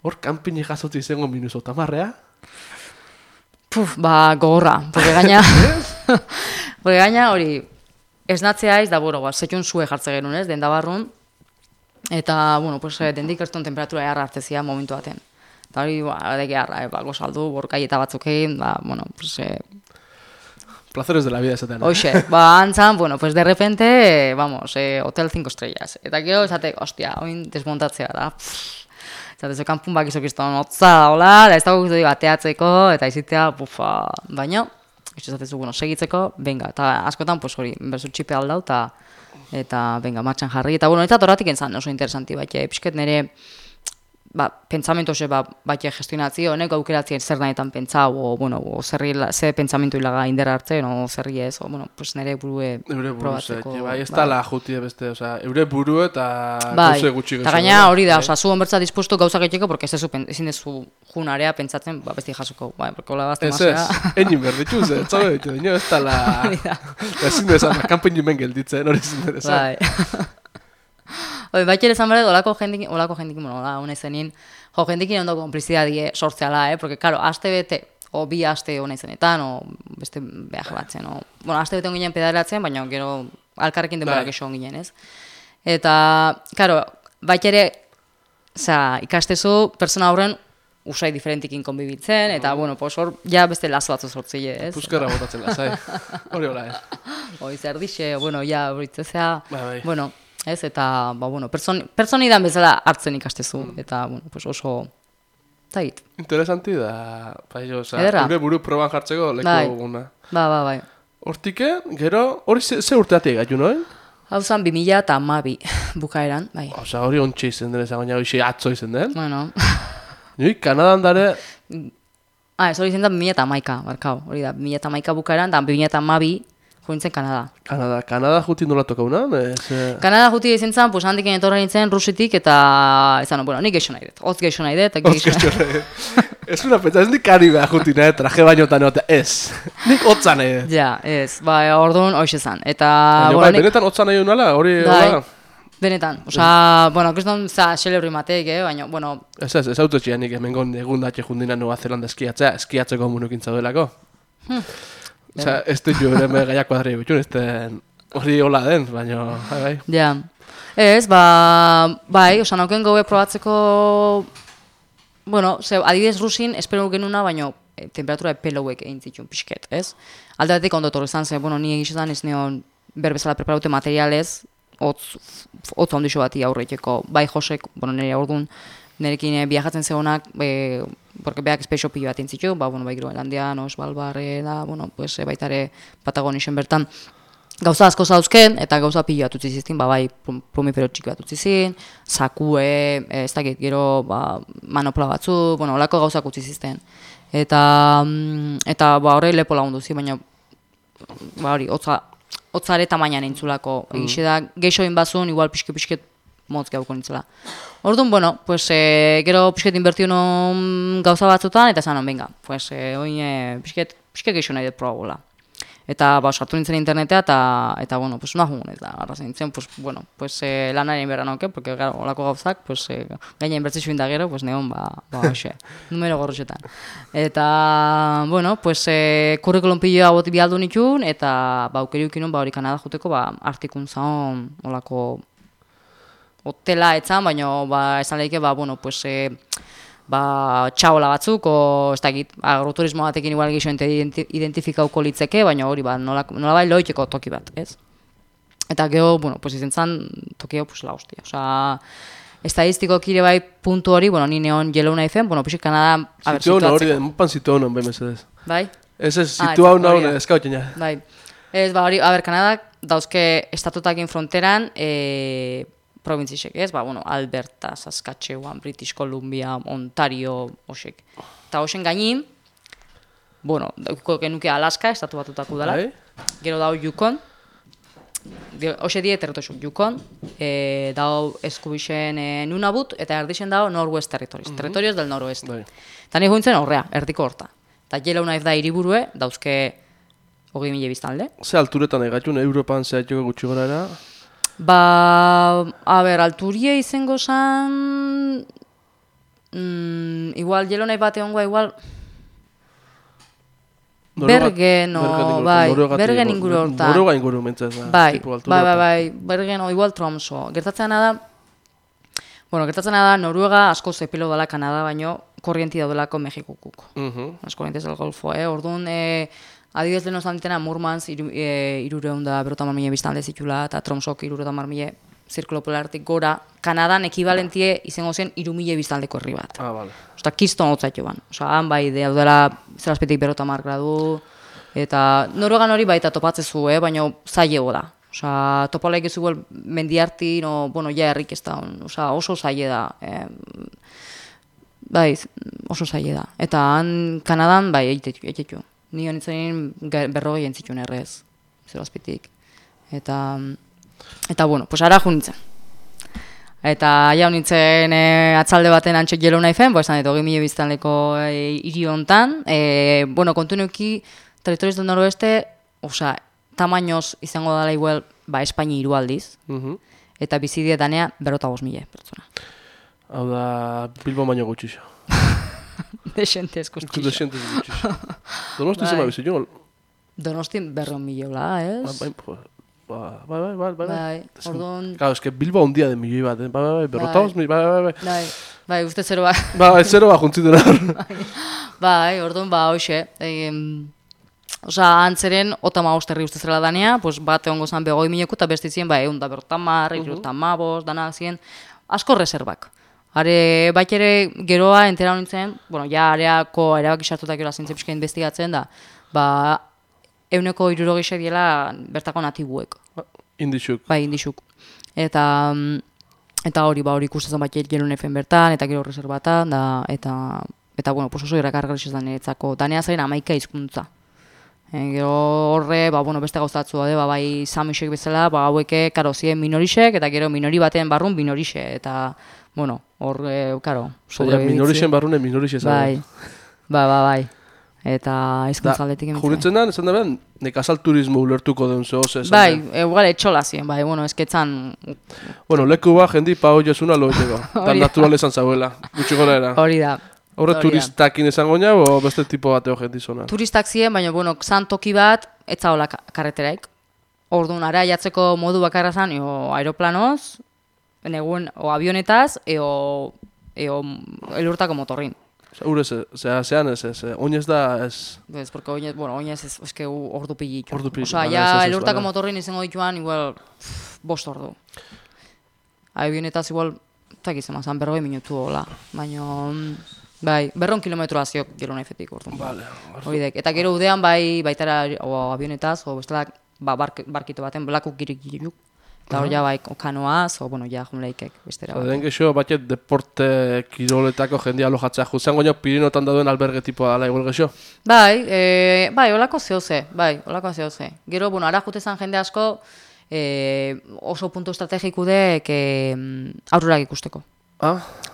Hor, kanpini jasotzi izango minuzo tamarrea? Gogorra, porque gaina hori, esnatzea ez da, zetxun zue jartze genuen ez, den da barrun, eta, dendik erton temperatura jarra hartzezia momentu baten. Eta hori, adeke jarra, gozaldu, borkai eta batzukein, Placeres de la vida esaten. Oixe, antzan, de repente, hotel 5 estrellas. Eta gero, esate, hostia, oin desmontatzea da. Esate, zo kanpun bakizok izan hotza da, hola, da ez dago guztu bateatzeko, eta izitea, baina, esate zu, segitzeko, venga, eta askotan, hori, berzu txipe aldau, eta, venga, martxan jarri, eta, eta torratik entzan oso interesanti, pixket nire, pentsamentu ose bat gestionatzi, honek aukeratzen zer nahetan pentsau, o ze pentsamentu hilaga indera hartzen, o zerri ez, nire burue probatzeko. Bai, ez tala juti beste, eure buru eta gauze gutxi gezu. Eta gaina hori da, zu honbertza dispuesto gauza gaiteko, porque ezin dezu junarea pentsatzen, besti jasoko, porque hola bazte mazera. Ez, egin berditu, ez ditu, ez tala, ezin dezan, kanpein jumen gelditzen, hori ezin dezan. Baita ere zan bere, olako jendikin, hona izenin, jendikin ondo konplizidadie sortzeala, porque, karo, aste bete, o bi aste hona izenetan, o beste behar batzen, aste bete onginen pedalatzen, baina gero alkarrekin denborak eso onginen, ez? Eta, karo, baita ere, ikastezu, persona horren usai diferentikin konbibitzen, eta, hor, ja beste lazo batzu sortzile, ez? Puskarra botatzen lazai, hori hola, ez? Zer dixe, ja, horitzezea, ez, eta, personidan bezala hartzen ikastezu, eta, oso, zait. Interesanti da, gure buru proban jartzeko leku guna. Bai. Hortike, gero, hori ze urteatik gaitu, noen? Hau zan 2012 bukaeran, bai. Osa, hori ontsi izen den, baina hori atzo izen den. Bueno. Nui, Kanadan dare... Ez hori izen da 2011, barkau, hori da, 2011 bukaeran, da 2012 jointzen Kanada. Kanada juti nola tokauna? Kanada juti izin zen, handik etorra nintzen Rusitik, eta ezan, nik geixo nahi dut, hotz geixo nahi dut. Hotz geixo nahi dut. Ez una pentsa, ez nik karibea juti nahi, traje baino eta neote, ez. Nik hotza nahi dut. Ja, ez, orduan hoxe zen. Benetan hotza nahi dut nala, hori... Benetan, kriston xelebri mateik, baina, Ez autotxia nik emengon egun datxe jundina Nueva Zelanda eskiatzea, eskiatzeko munukintza duelako. Osea, ez du jo ere gaia kuadri bitxun, ez hori hola den, baina, bai. Ja. Ez, bai, osa nauken gaue probatzeko, bueno, adibidez Rusin, espero genuna, baina temperatura epelauek egin zituen pixket, ez? Alde batetik ondo torre izan zen, bueno, ni egizetan ez neon berbezala preparaute materialez, hotz ondixo bati aurreteko, bai Josek, bueno, nire orduan, nirekin viajatzen zegonak, porque beak espeixo pilo bat intzitu, bueno, bai Groenlandian, Svalbard, da, bueno, pues baitare Patagonisen bertan, gauza asko zauzken, eta gauza pilo bat utzi zizten, bai plumifero txiki bat utzi zizten, sakue, ez dakit, gero, manopla batzu, bueno, olako gauzak utzi zizten. Eta horre lepo lagundu zi, baina, hori, hotzare tamainan entzulako, egixe da, geixoin bazun, igual pixket motz gauko nintzela. Orduan, bueno, pues, gero pixket inbertiu non gauza batzutan, eta zanon, venga, pues, oin pixket geixo nahi dut probagola. Eta, sartu nintzen internetea, eta bueno, pues, una jugun ez da, arrazen nintzen, pues, bueno, pues, lanaren berra nauke, porque, gara, olako gauzak, pues, gaina inbertzitzu inda gero, pues, neon, hoxe, numero gorroxetan. Eta, bueno, pues, kurrikulum piloa boti bialdu nitun, eta, aukeriukin hori Kanada juteko, artikun zaon, olako, hotela etzan, baina, esan lehike, bueno, pues, txaola batzuk, ez dakit, agroturismo batekin igual gixo identifikauko litzeke, baina hori, nolabait loiteko toki bat, ez? Eta gero, bueno, pues izen zan, tokio, pues la hostia. Osa, estadistiko kire bai puntu hori, bueno, ni neon Yellow Knife-en, bueno, pixik Kanada, situatzeko. Hori, mupan situ honon, behin mesedez. Bai? Ez, situ hau naun, eskautzen ja. Bai. Ez, hori, Kanadak dauzke estatutakin fronteran, provintzisek, ez? Bueno, Alberta, Saskatchewan, British Columbia, Ontario, osek. Eta osen gainin, bueno, genuke Alaska, estatu batutako dela. Gero dau Yukon. Ose die territorio Yukon. Dau eskubixen Nunavut, eta erdixen dau Northwest Territories. Territorios del Noroeste. Eta nahi jointzen horrea, erdiko horta. Eta Yellow Knife da hiriburue, dauzke 20.000 biztanle. Ze alturetan egatxun, Europan zehatxoko gutxi gora era? Alturie izango zan, igual, Yellow Knife bat egongoa, igual, Bergen inguru hortan. Noruega inguru mentzaz da. Bai, Bergen o igual Tromso. Gertatzen da, Noruega asko zepilo dela Kanada, baino korrienti daudelako Mexikokuk. Asko korrienti del Golfo, orduan, adibidez lehen ozantitena Murmansk 350.000 biztanle zitula, eta Tromsok 350.000 zirkulo polartik gora, Kanadan ekibalentie izango zen 3.000 biztaldeko herri bat. Bale. Osta, kiston hotzaitu ban. Osa, han bai, daudela zerazpetik 50 gradu, eta Noruegan hori baita topatzezu, baina zailego da. Osa, topalaik ez zuel mendiarti, ja herrik ez da, oso zaile da. Bai, oso zaile da. Eta han Kanadan, bai, eitetu. Ni honitzen 40 entzitun errez, zerazpetik. Eta, bueno, pues ara junitzen. Eta ja honitzen atzalde baten antxek Yellow Knife-en, esan dut 20.000 biztanleko hiri hontan. Bueno, kontu neuki, territorios del noroeste, osa, tamainoz izango dela igual, Espaini 3 aldiz, eta bizidie danea 55.000 pertsona. Hau da, Bilbo baino gutxixo. Desentez gutxixo. Desentez gutxixo. Donosti zema bizitzen? Donosti 100.000, ez? Bai. Orduan... Claro, es que Bilbo un día de milioi bat, berrotauz, Bai, uste zero bat. Bai, zero bat juntzituen hor. Bai, orduan, hoxe. Osa, antzeren, 50 herri uste zela danea, bat egongo zan 20.000 eta bestizien, egun da 50, dana zien, asko reservak. Are, bat ere geroa entera honintzen, ja areako erabaki sartutak gero azintzen pixka investigatzen da, 160 diela bertako natibuek. Indixuk. Bai, indixuk. Eta hori, ikusten bat Yellow Knife-en bertan, eta gero reservatan, eta bueno, oso irrakargarriz da niretzako. Danea zaren 11 hizkuntza. Gero horre, beste gauzatzu daude, bai Samisek bezala, haueke, karo, ziren minorixek, eta gero minori baten barrun minorixe, eta, bueno, horre, karo, sobrebiditzen. Minorixen barrunen minorixe zago. Bai. Eta izkuntzaldetik emitzen. Juritzen da, esan da behar, nekazal turismo ulertuko den zehose. Bai, egual etxola ziren, ezketzan... Bueno, leku ba, jendi, pa hoi esuna loeteko. Tan naturalezan zauela, gutxi gora era. Hori da. Horre turistakin izango nia, o beste tipo bateo jendizona? Turistak ziren, baina, bueno, zan toki bat, etzaola karreteraik. Orduan, ara jatzeko modu bakarra zan, aeroplanoz, negun, o avionetaz, elurtako motorrin. Ure, zean ez, oinez da ez... Ez, porque oinez ez, eske ordu pillitu. Osa, ja, elurtako motorrin izango dituan, igual, 5 ordu. Avionetaz, igual, tak izan, 40 minutu hola, baina... Bai, 200 kilometroa ziok gero naifetik orduan. Vale. Hoidek. Eta gero udean baitara avionetaz, bestelak barkito baten, blakuk girik-girik. Eta hor ja kanoaz, ja jumleikek bestera. Den gexo, batet deporte kiroletako jendia alojatzea juzan goño Pirinotan dauden alberge tipoa dala igual gexo? Bai, holako zehoze, Gero, ara jutezan jende asko oso puntu estrategikudek aurorak ikusteko.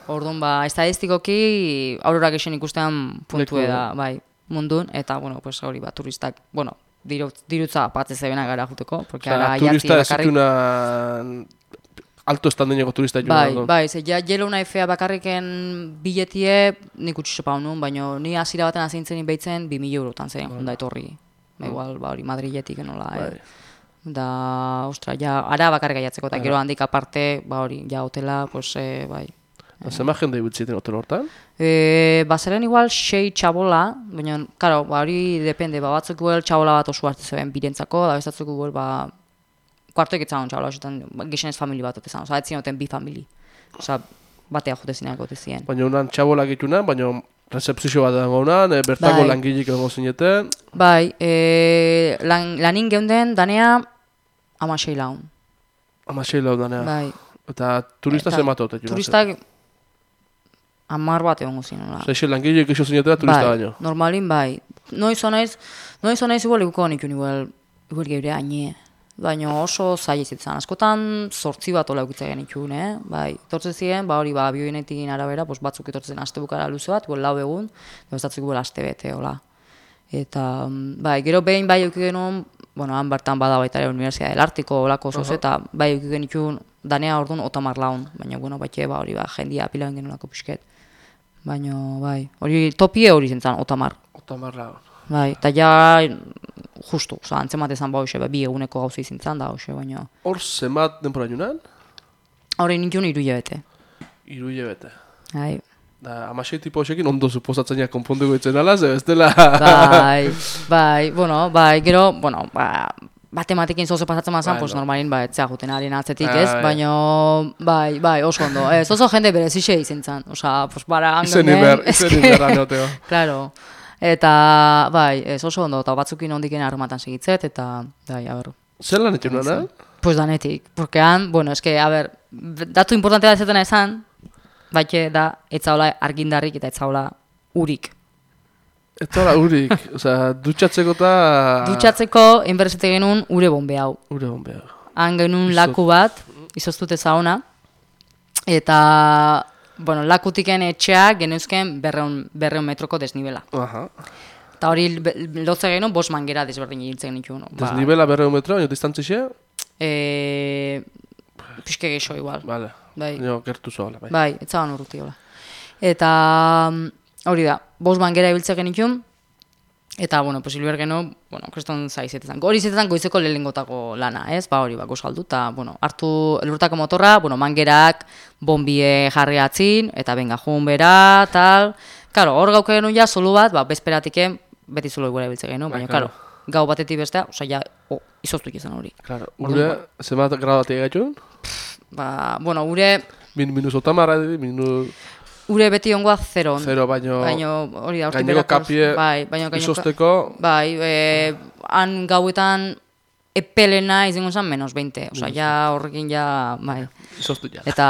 Orduan, estadistikoki aurorak esen ikustean puntue da, bai, mundun, eta, hori, turistak, dirutza apatze zebena gara juteko, porque ara jatzi bakarrik... Turista alto estandeneko turista joan. Bai, ze jelo una efea bakarriken biletie nik utxixo paunun, baina ni hasiera baten azintzen behitzen 2.000 eurotan zen junda etorri. Igual, hori Madriletik enola, Da, ostra, ara bakarrik jatzeko, eta gero handik aparte, hori, hotela, bai. Zema jende ibiltziten hotel hortan? Zeren igual 6 txabola, baina, karo, hori depende, batzuk guel txabola bat oso hartu zeben birentzako, da bestatzuk guel, kuartoek etzan txabola, gixenez famili bat otezan, etzien oten 2 famili. Batea jote zineak ote zien. Baina unan txabola gitunan, baina recepzio bat edango unan, bertako langilik egongo zineten. Bai, lanin geunden danea 16 laun. 16 laun danea. Bai. Eta turista zenbat ote? Turistak 10 bat egongo zinen. Zaixe langilik iso zinetela turista baino? Normalin bai. Noiz honaiz igual iguko nikun igual geure aine. Baina oso zai ez itzan. Askotan 8 bat ola eukitza genikun, Bai, etortzen ziren, hori, biogenetik arabera, batzuk etortzen aste bukara luze bat, 4 egun, bestatzuk aste bete, hola. Eta, bai, gero behin bai eukik genuen, han bertan bada baita ere Universidad del Artiko, olako zoz, eta bai eukik genikun danea orduan 30 laun, baina, bate, hori, jendia pilauen genuelako pixket. Baina, bai, hori, topie hori zentzan, 30. 30 laun. Bai, eta ja, justu, antzemat ezan hoxe, 2 eguneko gauza izintzan da hoxe, baina... Hor, zemat denpora junan? Hori nintzen 3 hilabete. 3 hilabete. Bai. Da, 16 tipo hoxekin ondo suposatzenia konponduko itzen alaz, ez dela... Bai, gero, matematekin zozo pasatzen mazan, normalin, etzea juten harien atzetik, ez? Baina, bai, oso ondo. Oso jende berezixe izintzan, bara hangonen... Izen inberra neoteo. Claro. Eta, bai, oso ondo, eta batzukin ondiken arrumatan segitzet, eta, bai, aber... Zer lan etxun nana? Pues danetik, porque han, datu importantea dezetena esan, baite da, etzaola argindarrik eta etzaola urik. Etzaola urik, dutxatzeko eta... Dutxatzeko, enberzete genuen ure bombe hau. Ure bombe hau. Han genuen laku bat, izoztute zaona, eta... lakutiken etxea geneuzken 200 metroko desnibela. Eta hori lotze genuen 5 mangera desberdin egiltzen genituen. Desnibela 200 metro, baina distantzia? Piske geixo igual. Vale, gertu zoala. Bai, etzaban urruti hola. Eta hori da, 5 mangera ebiltzen genituen, eta, hilber genuen, kriston zaizetetan. Hori izetetan goizeko lehengotako lana, ez? Hori, gozaldu, eta, hartu elurtako motorra, mangerak, bombie jarri atzin, eta benga jun bera, tal. Karo, hor gauke genuen ja, solu bat, bezperatiken, beti solo igual ebiltze genuen, baina, gau batetik bestea, izoztuik izan hori. Claro, ure, zemat gradatik gaitun? Ure... Minus otamara, minus... Ure beti ongoa 0. 0, baino hori da, gaineko kapie izosteko... Bai, han gauetan epelena izango zen menos 20. Osa, ja horrekin ja, bai. Izoztu ja. Eta,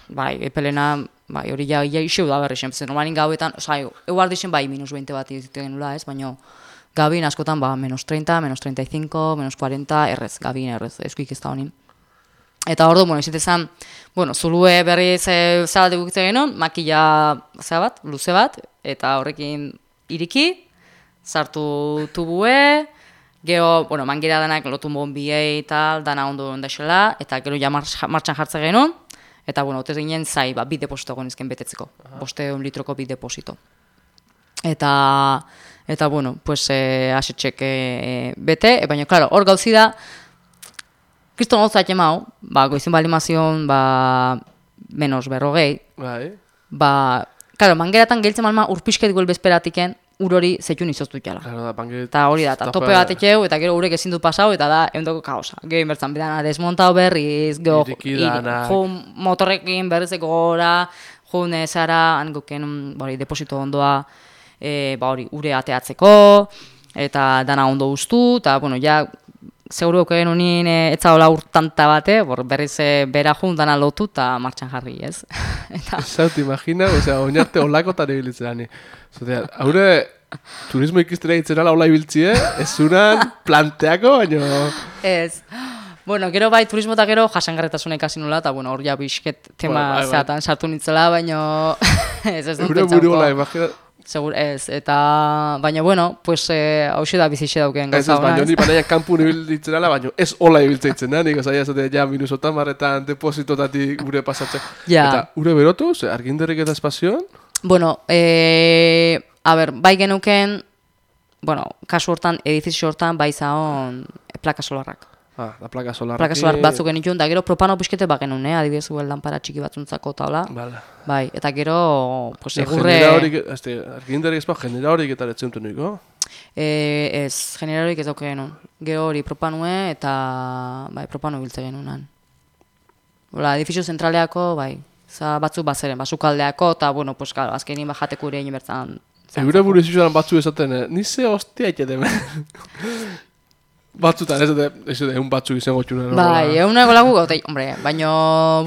bai, epelena, bai, hori ja iseu da berri zen. Normalin gauetan, osa, eguar dixen bai minus 20 bat izitu genula, ez, baina gabin askotan, menos 30, menos 35, menos 40, errez, gabin errez, eskuik ez da honin. Eta ordu, izitezan, zulue berri zabat egukitza genuen, makila luze bat, eta horrekin iriki, sartu tubue, gero, mangera danak lotu bonbiei eta dana ondo ondaxela, eta gero ja martxan jartze genuen, Eta, bueno, otez ginen zai, ba, bi deposito gonizken betetzeko. 500 litroko bi deposito. Eta bueno, pues, asetxek bete, baina, klaro, hor gauzi da, kriston gauzat emau, ba, goizin balimazion, ba, menos 40, ba, klaro, mangeratan gehiltzen malma urpisket guel bezperatiken, hori zetxun izoztu jala. Eta hori da, eta tope bat etxeu, eta gero urek ezin dut pasau, eta da, eundoko kaosa. Gero inbertzan, bidana, desmontau berriz, motorrekin berrizeko gora, zara, hangoken, deposito ondoa, ba hori, ure ateatzeko, eta dana ondo ustu, eta, bueno, ja, seguru eken unien etzaola urtanta bate, berriz bera jun dana lotu eta martxan jarri, ez? Zaut, imagina, oinarte olakotan ebilitzen. Haure, turismo ikistera itzera laula ibiltzie, ez unan planteako, baina... Ez. Bueno, gero bai, turismo eta gero jasangarretasuna ikasi nula, eta bueno, hor ja bisket tema zeatan sartu nintzela, baina... Ez dut pentsauko. Segur ez, eta... Baina, bueno, pues, hauxe da bizixe dauken gauza hona. Baina, ni baina kanpu ibiltzen ala, baina ez hola ibiltzen itzen da, nik ozaia esate, ja, minusotan marretan, depositotatik gure pasatzen. Ja. Eta, ure berotu, arginderrik eta espazioan? Bueno, a ber, bai genuken, bueno, kasu hortan, edifizio hortan, bai zaon plaka solarrak. Da plaka solarrak. Plaka solar batzuk genituen, da gero propano piskete bat genuen, adibidez guen lanpara txiki batzuntzako taula. Bala. Bai, eta gero, pues, egurre... Arginderrik ezpa, generahorik eta letzentun niko? Ez, generahorik ez dauke genuen. Gero hori propanue eta, bai, propano biltze genuenan. Hola, edifizio zentraleako, bai, batzuk bazeren, basukaldeako, eta, bueno, pues, claro, azkenin bajateko ere egin bertzan. Eure buru izuzioan batzu esaten, nize hostia iketemen. Batzutan, ez egun batzuk izango txunen. Bai, eguneko lagu gautei, hombre, baina,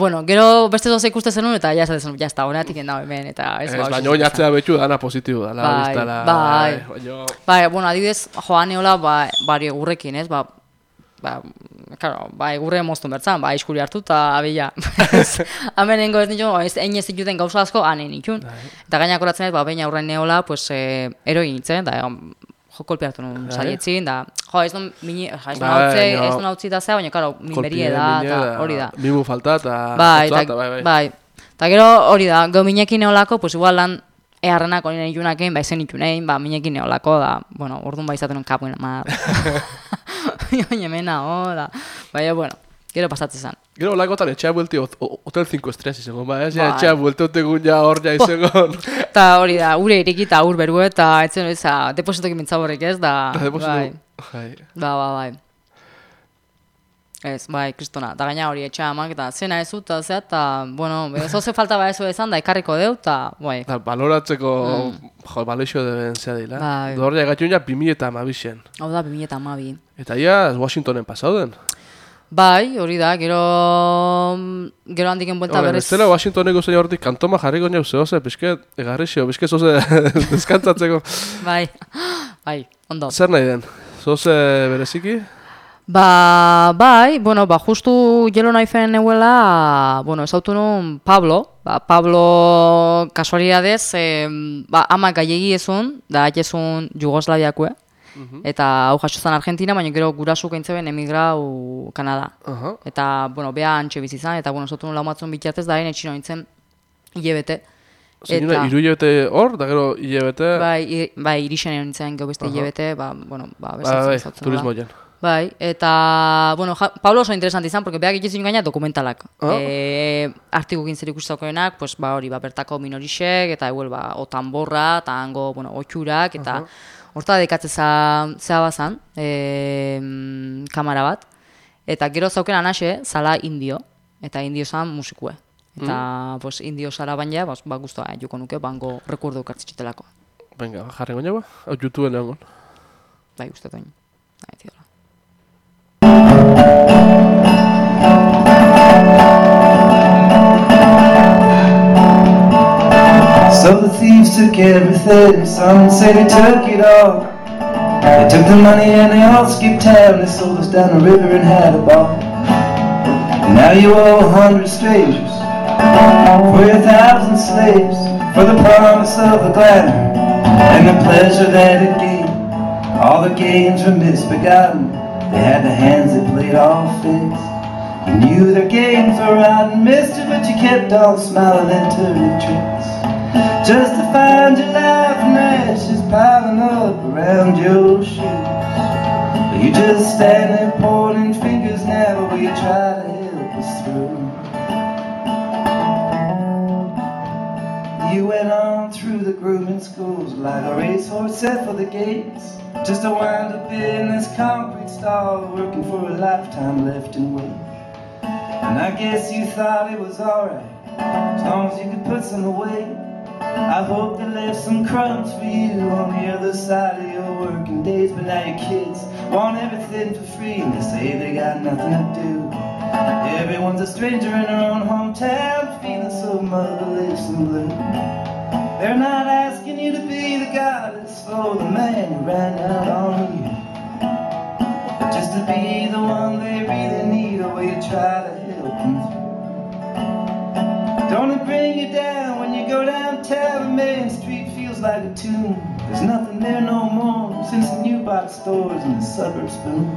bueno, gero beste doze ikuste zenun, eta ja esaten zenun, jazta, honetik endau hemen, eta ez bau. Baina hori atzea betxu dana positibo dala. Bai, bueno, adibidez, joan eola, bari egurrekin, ez, ba, egurre moztu bertzan, ba, iskuri hartu, eta abila. Hemen nengo ez nituen, ez dituten gauza asko, hanen nituen. Eta gainak horatzen ez, ba, baina aurren neola, pues, eroi nintzen, da, kolpeatu nuen salietzin, da, ez non hautzi da zea, baina, karo, minberie da, eta hori da. Mimu falta, eta... Bai, eta gero hori da, gau minekin neolako, pues igual lan eharrenak hori nitunakein, ba, esen nitunein, ba, minekin neolako, da, bueno, orduan ba izaten nuen kapuen, ma... Oiemena, da, baina, bueno, gero pasatzen zen. Gero lagotan etxea buelti Hotel 5 Estrellas izango, ba, ez? Etxea buelti otegun ja hor ja izango. Eta hori da, ure iriki eta ur beru eta etzen hori za, depositoki mintzaborek ez, da, bai. Bai. Ez, bai, kristona, da gaina hori etxea amak, eta zena ez dut, eta, bueno, zoze falta ba ezo ezan, da ekarriko deu, eta, bai. Baloratzeko, baleixo deben zea dila. Bai. Dorria gatxun ja 2012. Hau da, 2012. Eta ia, Washingtonen pasauden. Bai, hori da, gero handiken buelta berriz. Ez dela Washingtoneko zein horretik kantoma jarriko neu zehoze, pixket, egarrixio, pixket zoze deskantzatzeko. Bai, ondo. Zer nahi den? Zoze bereziki? Bai, bueno, justu jelo nahi fen neuela, bueno, ez autu nun Pablo, Pablo kasualidadez, ama gaiegi ezun, da haitezun Jugoslaviakue. Eta hau jasozan Argentina, baina gero gurasuk eintzeben emigrau Kanada. Eta, bueno, beha antxe bizizan, eta, bueno, zotun laumatzun bitiatez da, etxino nintzen hilebete. Zeinuna, iru hilebete hor, da gero hilebete? Bai, irixen nintzen gero beste hilebete, bueno, bezatzen zautzen. Turismo jen. Bai, eta, bueno, Pablo oso interesant izan, porque beha egiten gaina dokumentalak. Artikukin zer ikustakoenak, pues, hori, bertako minorixek, eta eguel, otanborra, eta hango, bueno, otxurak, eta... Horta dedikatzen zea bazan, kamara bat, eta gero zauken anaxe, zala indio, eta indio zan musikue. Eta indio zara baina, guztua joko nuke, bango rekurdu kartzitxitelako. Venga, jarren goña ba? Hau YouTubeen egon? Bai, uste duen. So the thieves took everything, some say they took it all. They took the money and they all skipped town. They sold us down the river and had a ball. And now you owe 100 strangers for your 1,000 slaves, for the promise of the glamour and the pleasure that it gave. All the gains were misbegotten. They had the hands that played all figs. You knew their games were rotten mischief, but you kept on smiling and turning tricks, just to find you laughing ashes piling up around your shoes. But you just stand there pointing fingers now, will you try to help us through? You went on through the grooming schools like a racehorse set for the gates, just to wind up in this concrete stall, working for a lifetime left in wait. And I guess you thought it was alright, as long as you could put some away. I hope they left some crumbs for you on the other side of your working days. But now your kids want everything for free, and they say they got nothing to do. Everyone's a stranger in their own hometown, feeling so motherless and blue. They're not asking you to be the goddess for the man who ran out on you, but just to be the one they really need, or will you try to help them through? Don't it bring you down when you go downtown and Main Street feels like a tomb? There's nothing there no more since the new box stores and the suburbs boom.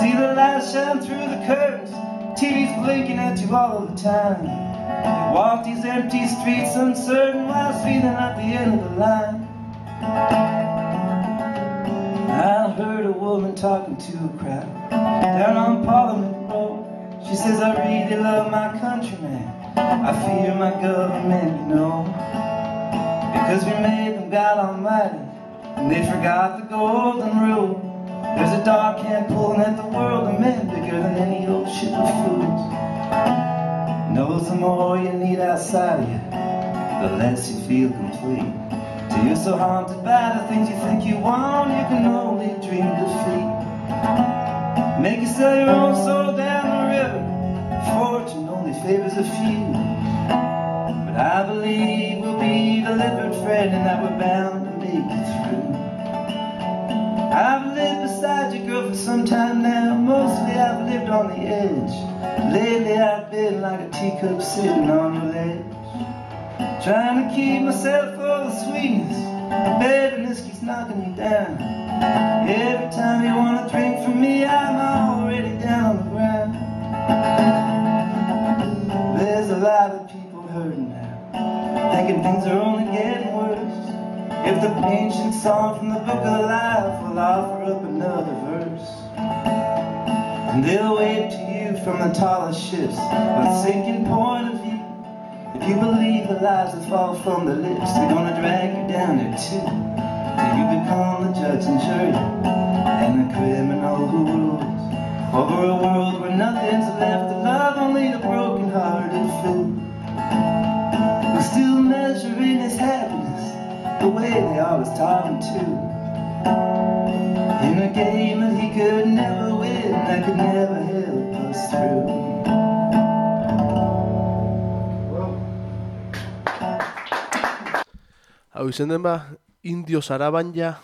See the lights shine through the curtains, TV's blinking at you all of the time. You walk these empty streets uncertain while feeling at the end of the line. I heard a woman talking to a crowd down on Parliament Road. She says, I really love my country, man. I fear my government, you know, because we made them God Almighty and they forgot the golden rule. There's a dark hand pulling at the world of men bigger than any old ship of fools. Knows the more you need outside of you, the less you feel complete. Till you're so haunted by the things you think you want, you can only dream defeat. Make you sell your own soul down the river, fortune only favors a few. But I believe we'll be delivered, friend, and that we're bound to make it through. I've lived beside you, girl, for some time now. Mostly I've lived on the edge. Lately I've been like a teacup sitting on your ledge, trying to keep myself full of sweetness. The bitterness keeps knocking me down. Every time you want to drink from me, I'm already down on the ground. There's a lot of people hurting now, thinking things are only getting worse. If the ancient song from the book of life will offer up another verse, and they'll wave to you from the tallest ships with sinking point of view. If you believe the lies that fall from the lips, they're gonna drag you down there too, till you become the judge and jury and the criminal who rules over a world where nothing's left to love, only the broken-hearted fool who's still measuring his happiness the way they always taught him to, in a game that he could never win, that could never help us through. Hau izen den ba, Indio Sarabanja.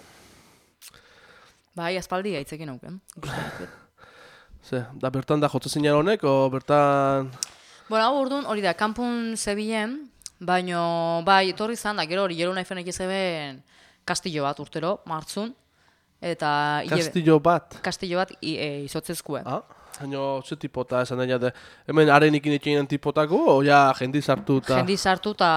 Bai, aspaldi haitzekin auken. Ze, da bertan da jotzen honek, o bertan... Bueno, hau orduan hori da, kanpun zebilen, baino, bai, etorri zan, da, gero hori jero nahi fenek ezeben kastillo bat urtero, martzun, eta... Kastillo bat? Kastillo bat izotzezkue. Ah, haino, ze tipota esan daia, hemen arenekin etxeinen tipotako, o ja jendiz hartu eta... Jendiz hartu eta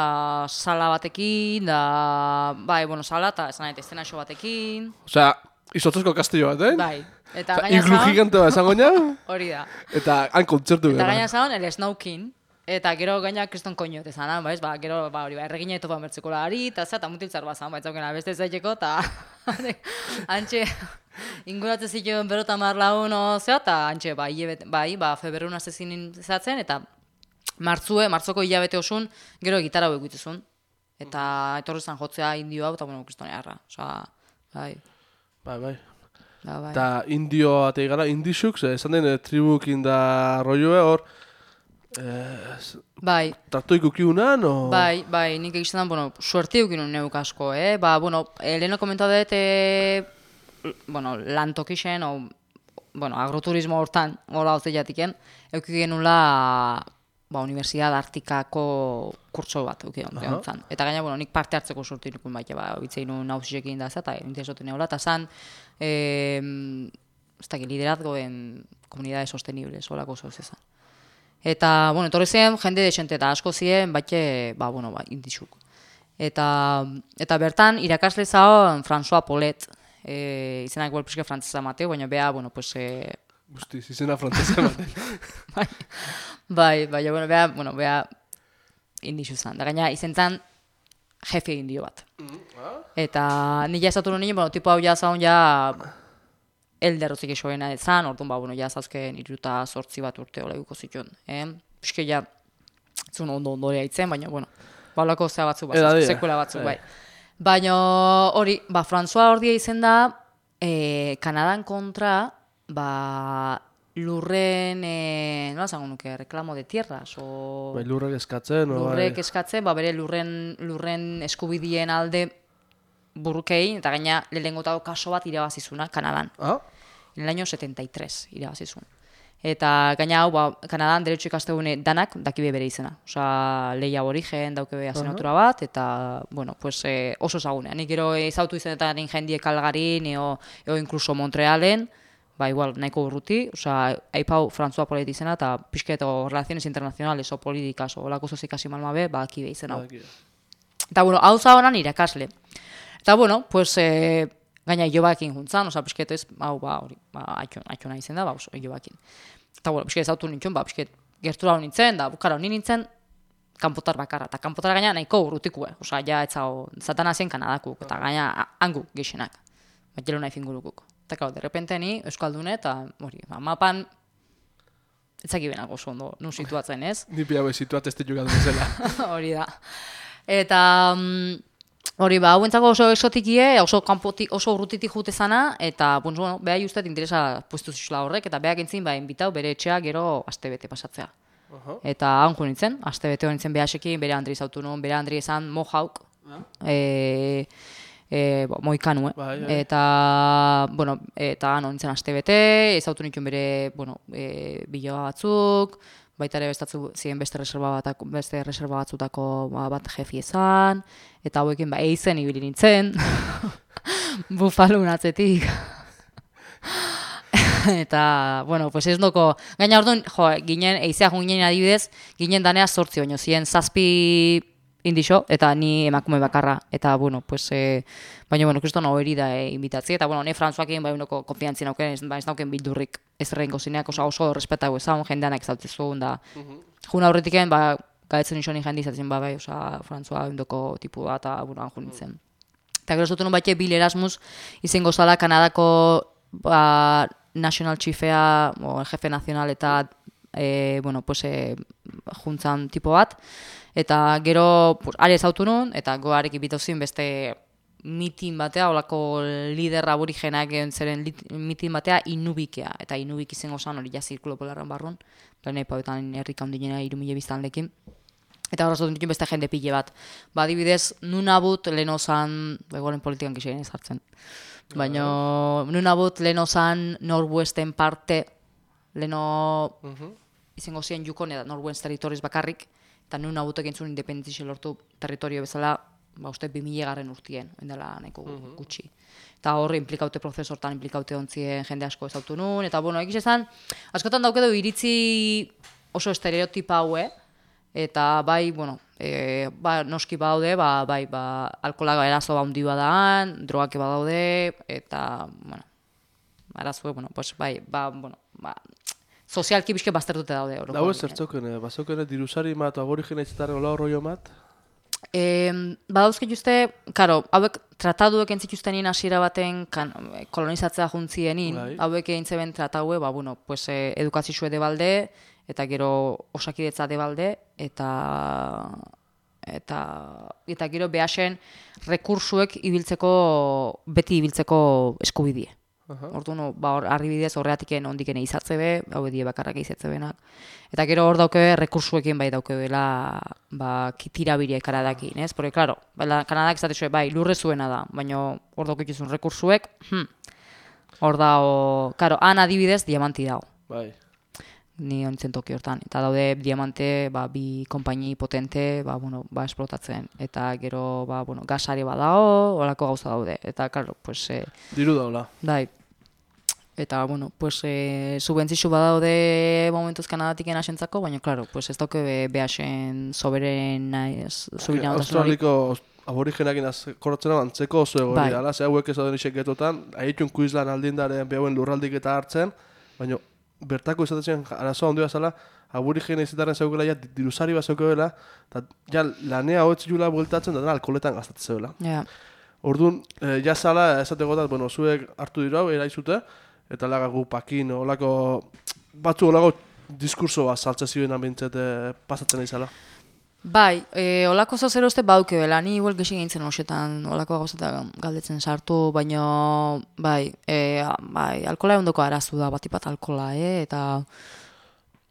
sala batekin, da, bai, bueno, sala eta esan nahi, estenazio batekin. Osea, izotzezko kastillo bat, Bai. Eta gaina iglu gigante bat esango nia? Hori da. Eta han kontzertu gara. Eta gaina zaon, el snowkin. Eta gero gaina kriston koinot ezan, baiz? Ba, gero, ba, hori, erregina eto bertzeko lari, eta mutiltzar bat zan, baitzaukena beste zaiteko, eta antxe inguratzen zituen berota marlaun ozea, eta antxe, febrerun azezin zatzen, eta martzoko hilabete osun, gero gitarra hau egituzun. Eta etorri zan jotzea indio hau, eta bueno, kristonearra. Osa, bai. Bai. Bai. Eta indio atei gara, indixuk, esan den tribukin da rolloe hor, bai. Tartoiko kiunan, o... Bai, nik egizten dan, bueno, suerte eukinun neuk asko, Ba, bueno, leheno komentau dut, bueno, lantokixen, o, bueno, agroturismo hortan, hola hoze jatiken, eukik genula, ba, Universidad Artikako kurtso bat eukion zan. Eta gaina, bueno, nik parte hartzeko sortu inukun baita, ba, bitzein nun nausisekin da, eta interesotu neula, eta zan, ez dakit, liderazgoen komunidade sostenibles, holako zauz ezan. Eta, bueno, etorri zen, jende desente eta asko ziren, indixuk. Eta bertan, irakasle zaon François Paulet, izenak igual pixka frantzesa mateu, baina beha, Guztiz, izena frantzesa mateu. beha indixu zan. Da gaina, izen zan, jefe indio bat. Eta nila esatu nuen, tipo hau jazaun elderrozik esoena ezan, orduan, zauzken 38 bat urte hola guko zituen. Piske zun ondo haitzen, baina, balako zea batzuk, sekuela batzuk, bai. Baina hori, François Hordia izen da, Kanadan kontra, lurren, nola zango nuke, reklamo de tierras, o... Lurrek eskatzen, Lurrek eskatzen, bere lurren eskubidien alde burrukein, eta gaina lehengotako kaso bat irabazizuna Kanadan. En el año 73 irabazizun. Eta gaina hau, Kanadan derecho ikastegune danak dakibe bere izena. Osa, lehi aborigen daukebe asenatura bat, eta, oso zagune. Nik gero ezautu izenetan jendiek Calgarin, eo inkluso Montrealen, igual, nahiko urruti, haipau François Paulet izena, eta pixketo relaciones internacionales o políticas, o olako zozikasi malmabe, dakibe izena hau. Eta, hau zahonan irakasle. Eta, gaina Ilobakin juntzan, pixket ez, atxona izen da, Ilobakin. Eta, pixket ezautu nintzen, pixket gertura hau nintzen, da bukara honi nintzen, kanpotar bakarra. Eta kanpotar gaina nahiko urrutikue, etzao, Satanasien Kanadakuk, eta gaina hangu gixenak, jelo nahi fingurukuk. Eta, derrepente ni, Euskaldune, eta mapan, etzaki benak oso ondo, nun situatzen ez. Ni piabe situat ez ditugatu zela. Hori da. Eta... Hori, hauentzako oso exotikie, oso urrutitik jute zana, eta, beha justet interesa puestu zizula horrek, eta beha gintzin, inbitau bere etxea gero astebete pasatzea. Eta hanko nintzen, astebete hori nintzen behasekin, bere Andri zautu nun, bere Andri esan Mohauk, Moikanu, eta, eta nintzen astebete, ezautu nintzen bere, biloa batzuk, baita ere bestatzu ziren beste reserva batzutako bat jefi ezan, eta hauekin eizen ibili nintzen, bufalun atzetik. Eta, ez doko, gaina orduan, ginen, eizea ginen adibidez, ginen danea 8 baino, ziren 7 indixo, eta ni emakume bakarra, eta, baina, kriston hori da inbitatzi, eta, ne Françoakin, konfiantzien auken, ez nauken bildurrik ez errenko zineak, oso respetago ezan, jendeanak zautzizun, da, juna horretiken, gaetzen nixo ni jendi izatzen, Françoa indoko tipu bat, eta, anjun nintzen. Eta gero zuten baite Bill Erasmus, izango zala Kanadako, National Chiefea, jefe nazional eta, juntzan tipo bat, eta gero, are ezautu nun, eta goarek ibitozin beste mitin batea, olako lider aborigenak egon zeren mitin batea Inubikea, eta Inubik izango zan hori zirkulo polarran barrun, planepauetan herrika hundinera 3.000 biztanlekin. Eta horra zuten ditun beste jende pile bat. Adibidez, Nunavut leheno zan, egoren politikan gizien ez hartzen, baina Nunavut leheno zan Northwesten parte, leheno izango ziren Yukon eta Northwest territoriz bakarrik, eta Nunavutek entzun independentzixe lortu territorio bezala, uste 2000 urtien, dela nahiko gutxi. Eta horre implikaute prozesortan, implikaute ontzien jende asko ezautu nun, eta egiz ezan, askotan daukedo iritzi oso estereotipa haue, eta noski badaude, alkohola erazo handi badaan, drogake badaude, eta, arazue, sozialki bizke baztertute daude. Lau ez zertzokene, bazokene dirusari mat, aborigena izatarren ola horroi mat? Badauzke juzte, hauek trataduek entzituzten nien hasiera baten kolonizatzea juntzienin, hauek eintzeben trataue, edukazizue de balde, eta gero osakidetza de balde, eta gero behasen rekursuek beti ibiltzeko eskubidie. Orduan, arribidez horreatiken ondikene izatzebe, hau edie bakarrak izatzebenak. Eta gero hor daukebe rekursuekin bai daukebela tirabiriek Kanadakin, ez? Porque, claro, Kanadak izatezue, lurre zuena da, baina hor dauketuzun rekursuek, hor dao, claro, han adibidez diamanti dago. Bai. Ni ontzen toki hortan. Eta daude diamante, bi konpaini potente, esplotatzen. Eta gero, gasari badao, horako gauza daude. Eta, claro, diru daula. Bai. eta, bueno, pues, subentzixu badaude momentuz Kanadatik asentzako, baina, claro, pues, ez dauke behasen soberen Australiko aborigenakin korratzen antzeko oso egori dala, ze hauek ez dauden isek getotan, haitxun kuizlan aldindaren behauen lurraldik eta hartzen, baina bertako izatezen arazoa ondoa zala, aborigena izataren zeukela ja dirusari bat zeukela, eta ja lanea hoetz jula bueltatzen, da alkoholetan gastatzen zeula. Orduan, ja zala, esategotat, bueno, zuek hartu dira hau, eraizute, eta lagagu pakin, olako, batzu olako diskurso bat saltze ziren ambientzet pasatzen izala. Bai, olako zauzero uste bauke bela, ni igual gexi gintzen hoxetan, olako gauzetan galdetzen sartu, baina, bai, alkola ondoko arazu da, batipat alkola, eta...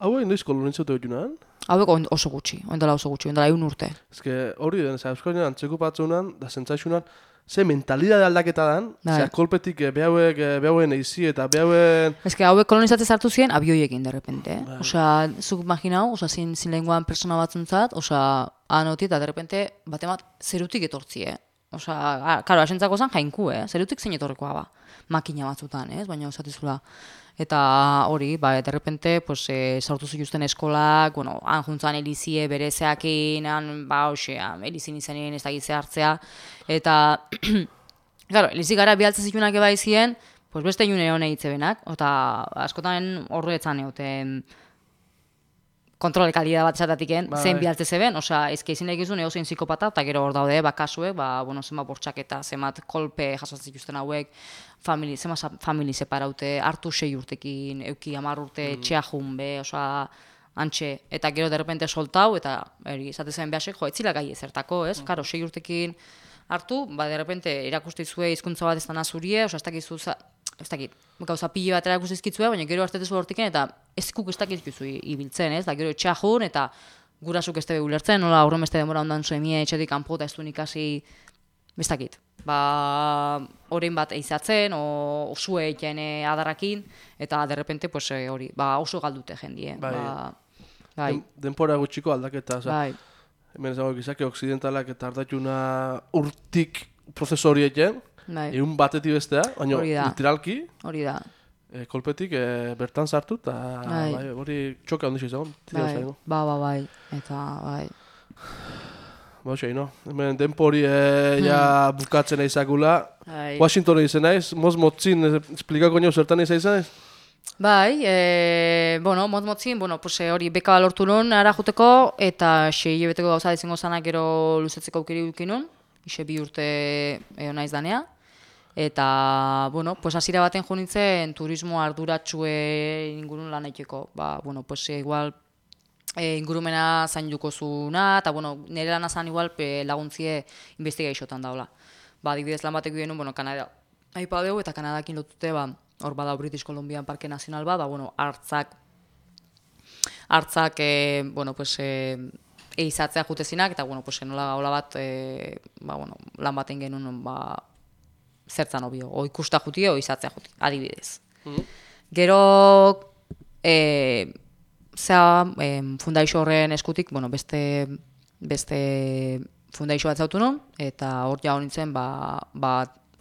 Hauek noiz kolonitzatu egunan? Hauek oso gutxi, oindela 1 urte. Ez hori den, Euskal antzeko patzunan, da zentzaixunan, ze mentalidade aldaketa dan, ze kolpetik behauen eizi eta behauen... Ez hauek kolonizatze zartu ziren abioiekin derrepente. Osa, zuk imaginau, zin lenguan persona batzuntzat, osa, anoti eta derrepente batemat zerutik etortzie. Osa, karo, asentzako zen jainku, zerutik zein etorrekoa ba. Makina batzutan, baina osatizula. Eta hori, derrepente, pues, sartu zituzten eskolak, bueno, han juntzan elizie berezeakin, elizin izanen ez da gizze hartzea, eta, claro, elizik gara bialtzen zitunak eba izien, pues beste june hone hitzebenak, eta askotan horretzan egoten kontrole kalidad bat esatatiken, zen bialtze zeben, osea, ezke izin egizun egozein psikopata, eta gero hor daude, bakasuek, zenbat bortxaketa, zenbat kolpe jasotzen zituzten hauek, zenbat famili separaute, hartu 6 urtekin, euki 10 urte, txeajun be, osea, antxe, eta gero derrepente soltau, eta izatezen behasek, etzila gai ezertako, ez? Karo, 6 urtekin hartu, derrepente irakustizue hizkuntza bat ez da nazurie, osea, ez dakit, gauza pile bat erakustizkitzue, baina gero hartetezu hortiken, eta ezkuk ez dakitzuzu ibiltzen, ez? Da gero etxeajun, eta gurasuk ez tebe ulertzen, nola aurren beste demora ondan zuemie etxetik kanpo eta ez duen ikasi, ez dakit. Horein bat eizatzen, osue egiten adarrakin, eta derrepente, pues, hori, oso galdute jendie. Denpora gutxiko aldaketa, hemen ezago gizake oksidentalak eta hartatxuna urtik prozesu hori egiten, egun batetik bestea, baina literalki, kolpetik bertan sartu, eta hori txoka ondixo izagon. Eta bai. Hemen denpori bukatzen eizakula. Washington izan naiz, motzin, esplikako nio zertan izan naiz? Bai, motzin, hori beka lortu nun ara juteko, eta 6 hilabeteko gauza izango zanak gero luzetzeko aukeri dukinun, 2 urte naiz danea. Eta, hasiera baten jo nintzen turismo arduratxue ingurun lan egiteko. Igual ingurumena zain dukozuna, eta nire lan azan igual laguntzie investigaziotan daula. Adibidez lan batek bidenu, Kanada aipa dugu, eta Kanadakin lotute, hor bada British Columbian Parke Nazional bat, hartzak, eizatzea jutezinak, eta, nola gaula bat, lan baten genuen, zertzan obio, ikusta juti, izatzea juti, adibidez. Gero, fundaixo horren eskutik, beste fundaixo bat zautu non, eta hor ja honintzen,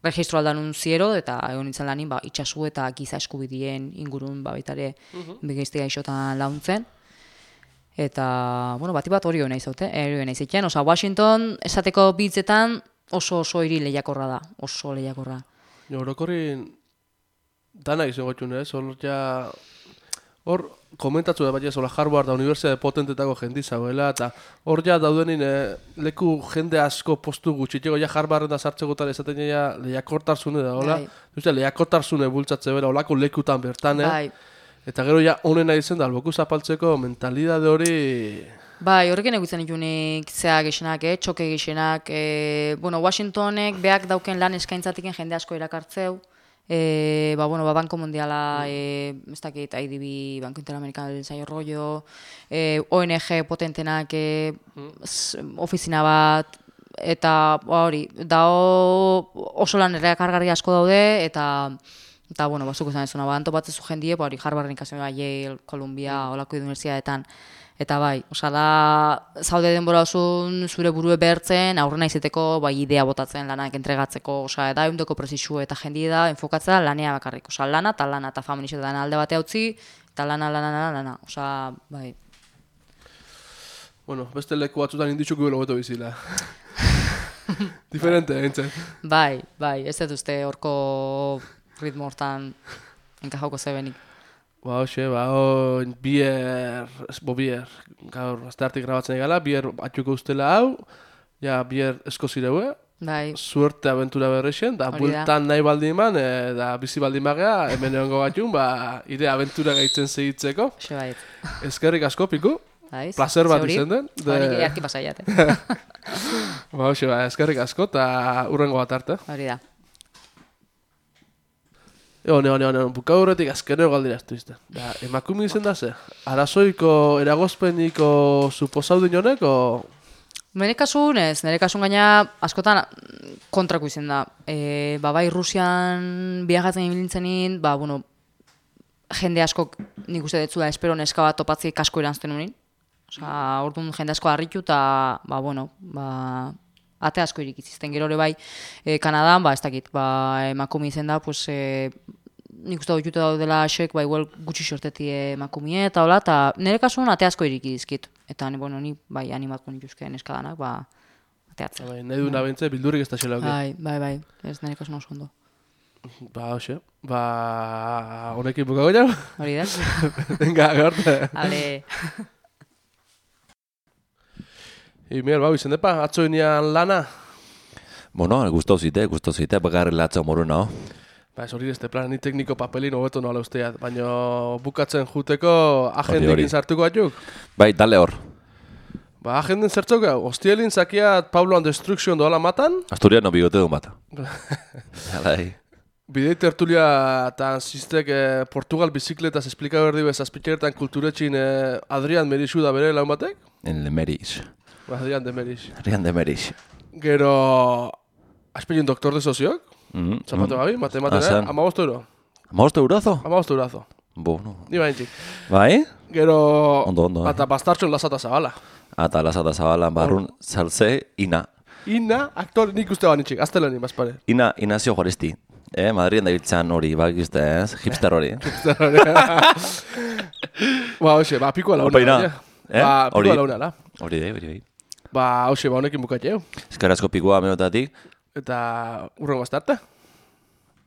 registro aldanun ziero, eta egon nintzen lanin, itxasu eta giza eskubidien ingurun, baitare, begeizte gaixotan launtzen. Eta, bati bat hori hori nahi zauten, Washington, esateko bitzetan, oso hiri lehiakorra da, oso lehiakorra. Orokorrin, dana izan gotxun, hor komentatzu da bat ez, Harvard da Unibertsitate potentetako jendizagoela, eta hor ja daudenin leku jende asko postu gutxiteko, Harvarden da sartzekotan esaten lehiakortarzune da, hola? Lehiakortarzune bultzatze bera, holako lekutan bertan, eta gero honena izen da, alboku zapaltzeko mentalidade hori... Horrekin egutzen ikunik zea gexenak, txoke gexenak. Washingtonek beak dauken lan eskaintzatiken jende asko erakartzeu. Banko Mundiala, ez dakit, IDB, Banko Interamericano del Desarrollo Rollo, ONG potentenak ofizina bat, eta hori, oso lan erakargarri asko daude, eta Eta, bueno, bazuko zen ezuna, anto batzezu jendie, hori Harvarden ikasi Yale, Columbia, olako universitateetan. Eta bai, da, zaude denbora osun zure burue behertzen, aurrena izeteko idea botatzen lanak entregatzeko, da, eundeko presisu eta jendie da, enfokatzea lanea bakarrik. Lana eta feministetan alde bate utzi, eta lana. Bai. Bueno, beste leku batzutan inditxuk gure hobeto bizila. Diferente, entzen. Bai, ez dut uste horko ritmo hortan enkajauko zebenik. Bier, gaur, asteartik grabatzen egala, bier atxuko ustela hau, bier eskozireue, bai. Suerte aventura berrexen, da bultan nahi baldin man, da bizi baldin magea, hemen egongo batxun, ire aventura gaitzen segitzeko. Eskerrik asko, Piku. Placer bat izen den. Hori gehiarki pasaiat. Eskerrik asko, eta urrengo bat arte. Hori da. Buka horretik azkenero galdira estu izten. Emakumi izen da ze? Arazoiko, eragozpeniko suposaudin honek, o...? Nere kasun ez, nere kasun gaina askotan kontrako izen da. Bai Rusian biajatzen ibilintzen jende askok nik uste detzula espero neska bat topatzi kasko eranzten unin. Orduan jende asko harritu eta, ate asko irikizizten. Gero hori bai, Kanadan, ez dakit, emakumi izen da, nik uste dut daudela asek, igual gutxi sorteti emakumie eta hola, eta nire kasuan ate asko irikizkit. Eta ni animatko nituzke neskadanak, ateatzen. Nahi du nabentze, bildurrik ez da xela. Bai, ez nire kasuan oso ondo. Honekin bukago jau? Hori da. Venga, gorte. Ale. Miguel, izen depa, atzo inian lana? Bueno, gustau zite, bakarri latza moru nao. Hori dezte plan, ni tekniko papelin hobeto noala usteat, baina bukatzen juteko agendekin sartuko atuk? Bai, dale hor. Agenden zertzok hau, hostielin zakiat Pablo and Destruction doala matan? Asturiano bigote du mata. Bidei tertulia eta ziztek Portugal bizikletaz esplika berdi bez azpitxeretan kulturetxin Adrian Merixu da bere laun batek? En Merix. Adrian de Merix. Gero... Aspelin doktor de soziok? Zapatu gabi, matematika, €15. €15? €15. Bueno. Ni baintzik. Bai? Gero... Ondo. Eta bastartxon lasata zabala. Eta lasata zabala, barrun, saltze, Ina. Ina, aktor nik uste banitxik, aztelanin, bazpare. Inazio Juaristi. Madrien da biltzan hori, bakizte, hipster hori. Pikoa launa. Pikoa launa, Hori dai. Honekin bukatzeu. Eskerrazko Pikoa meotatik. Eta urrengo bastarte.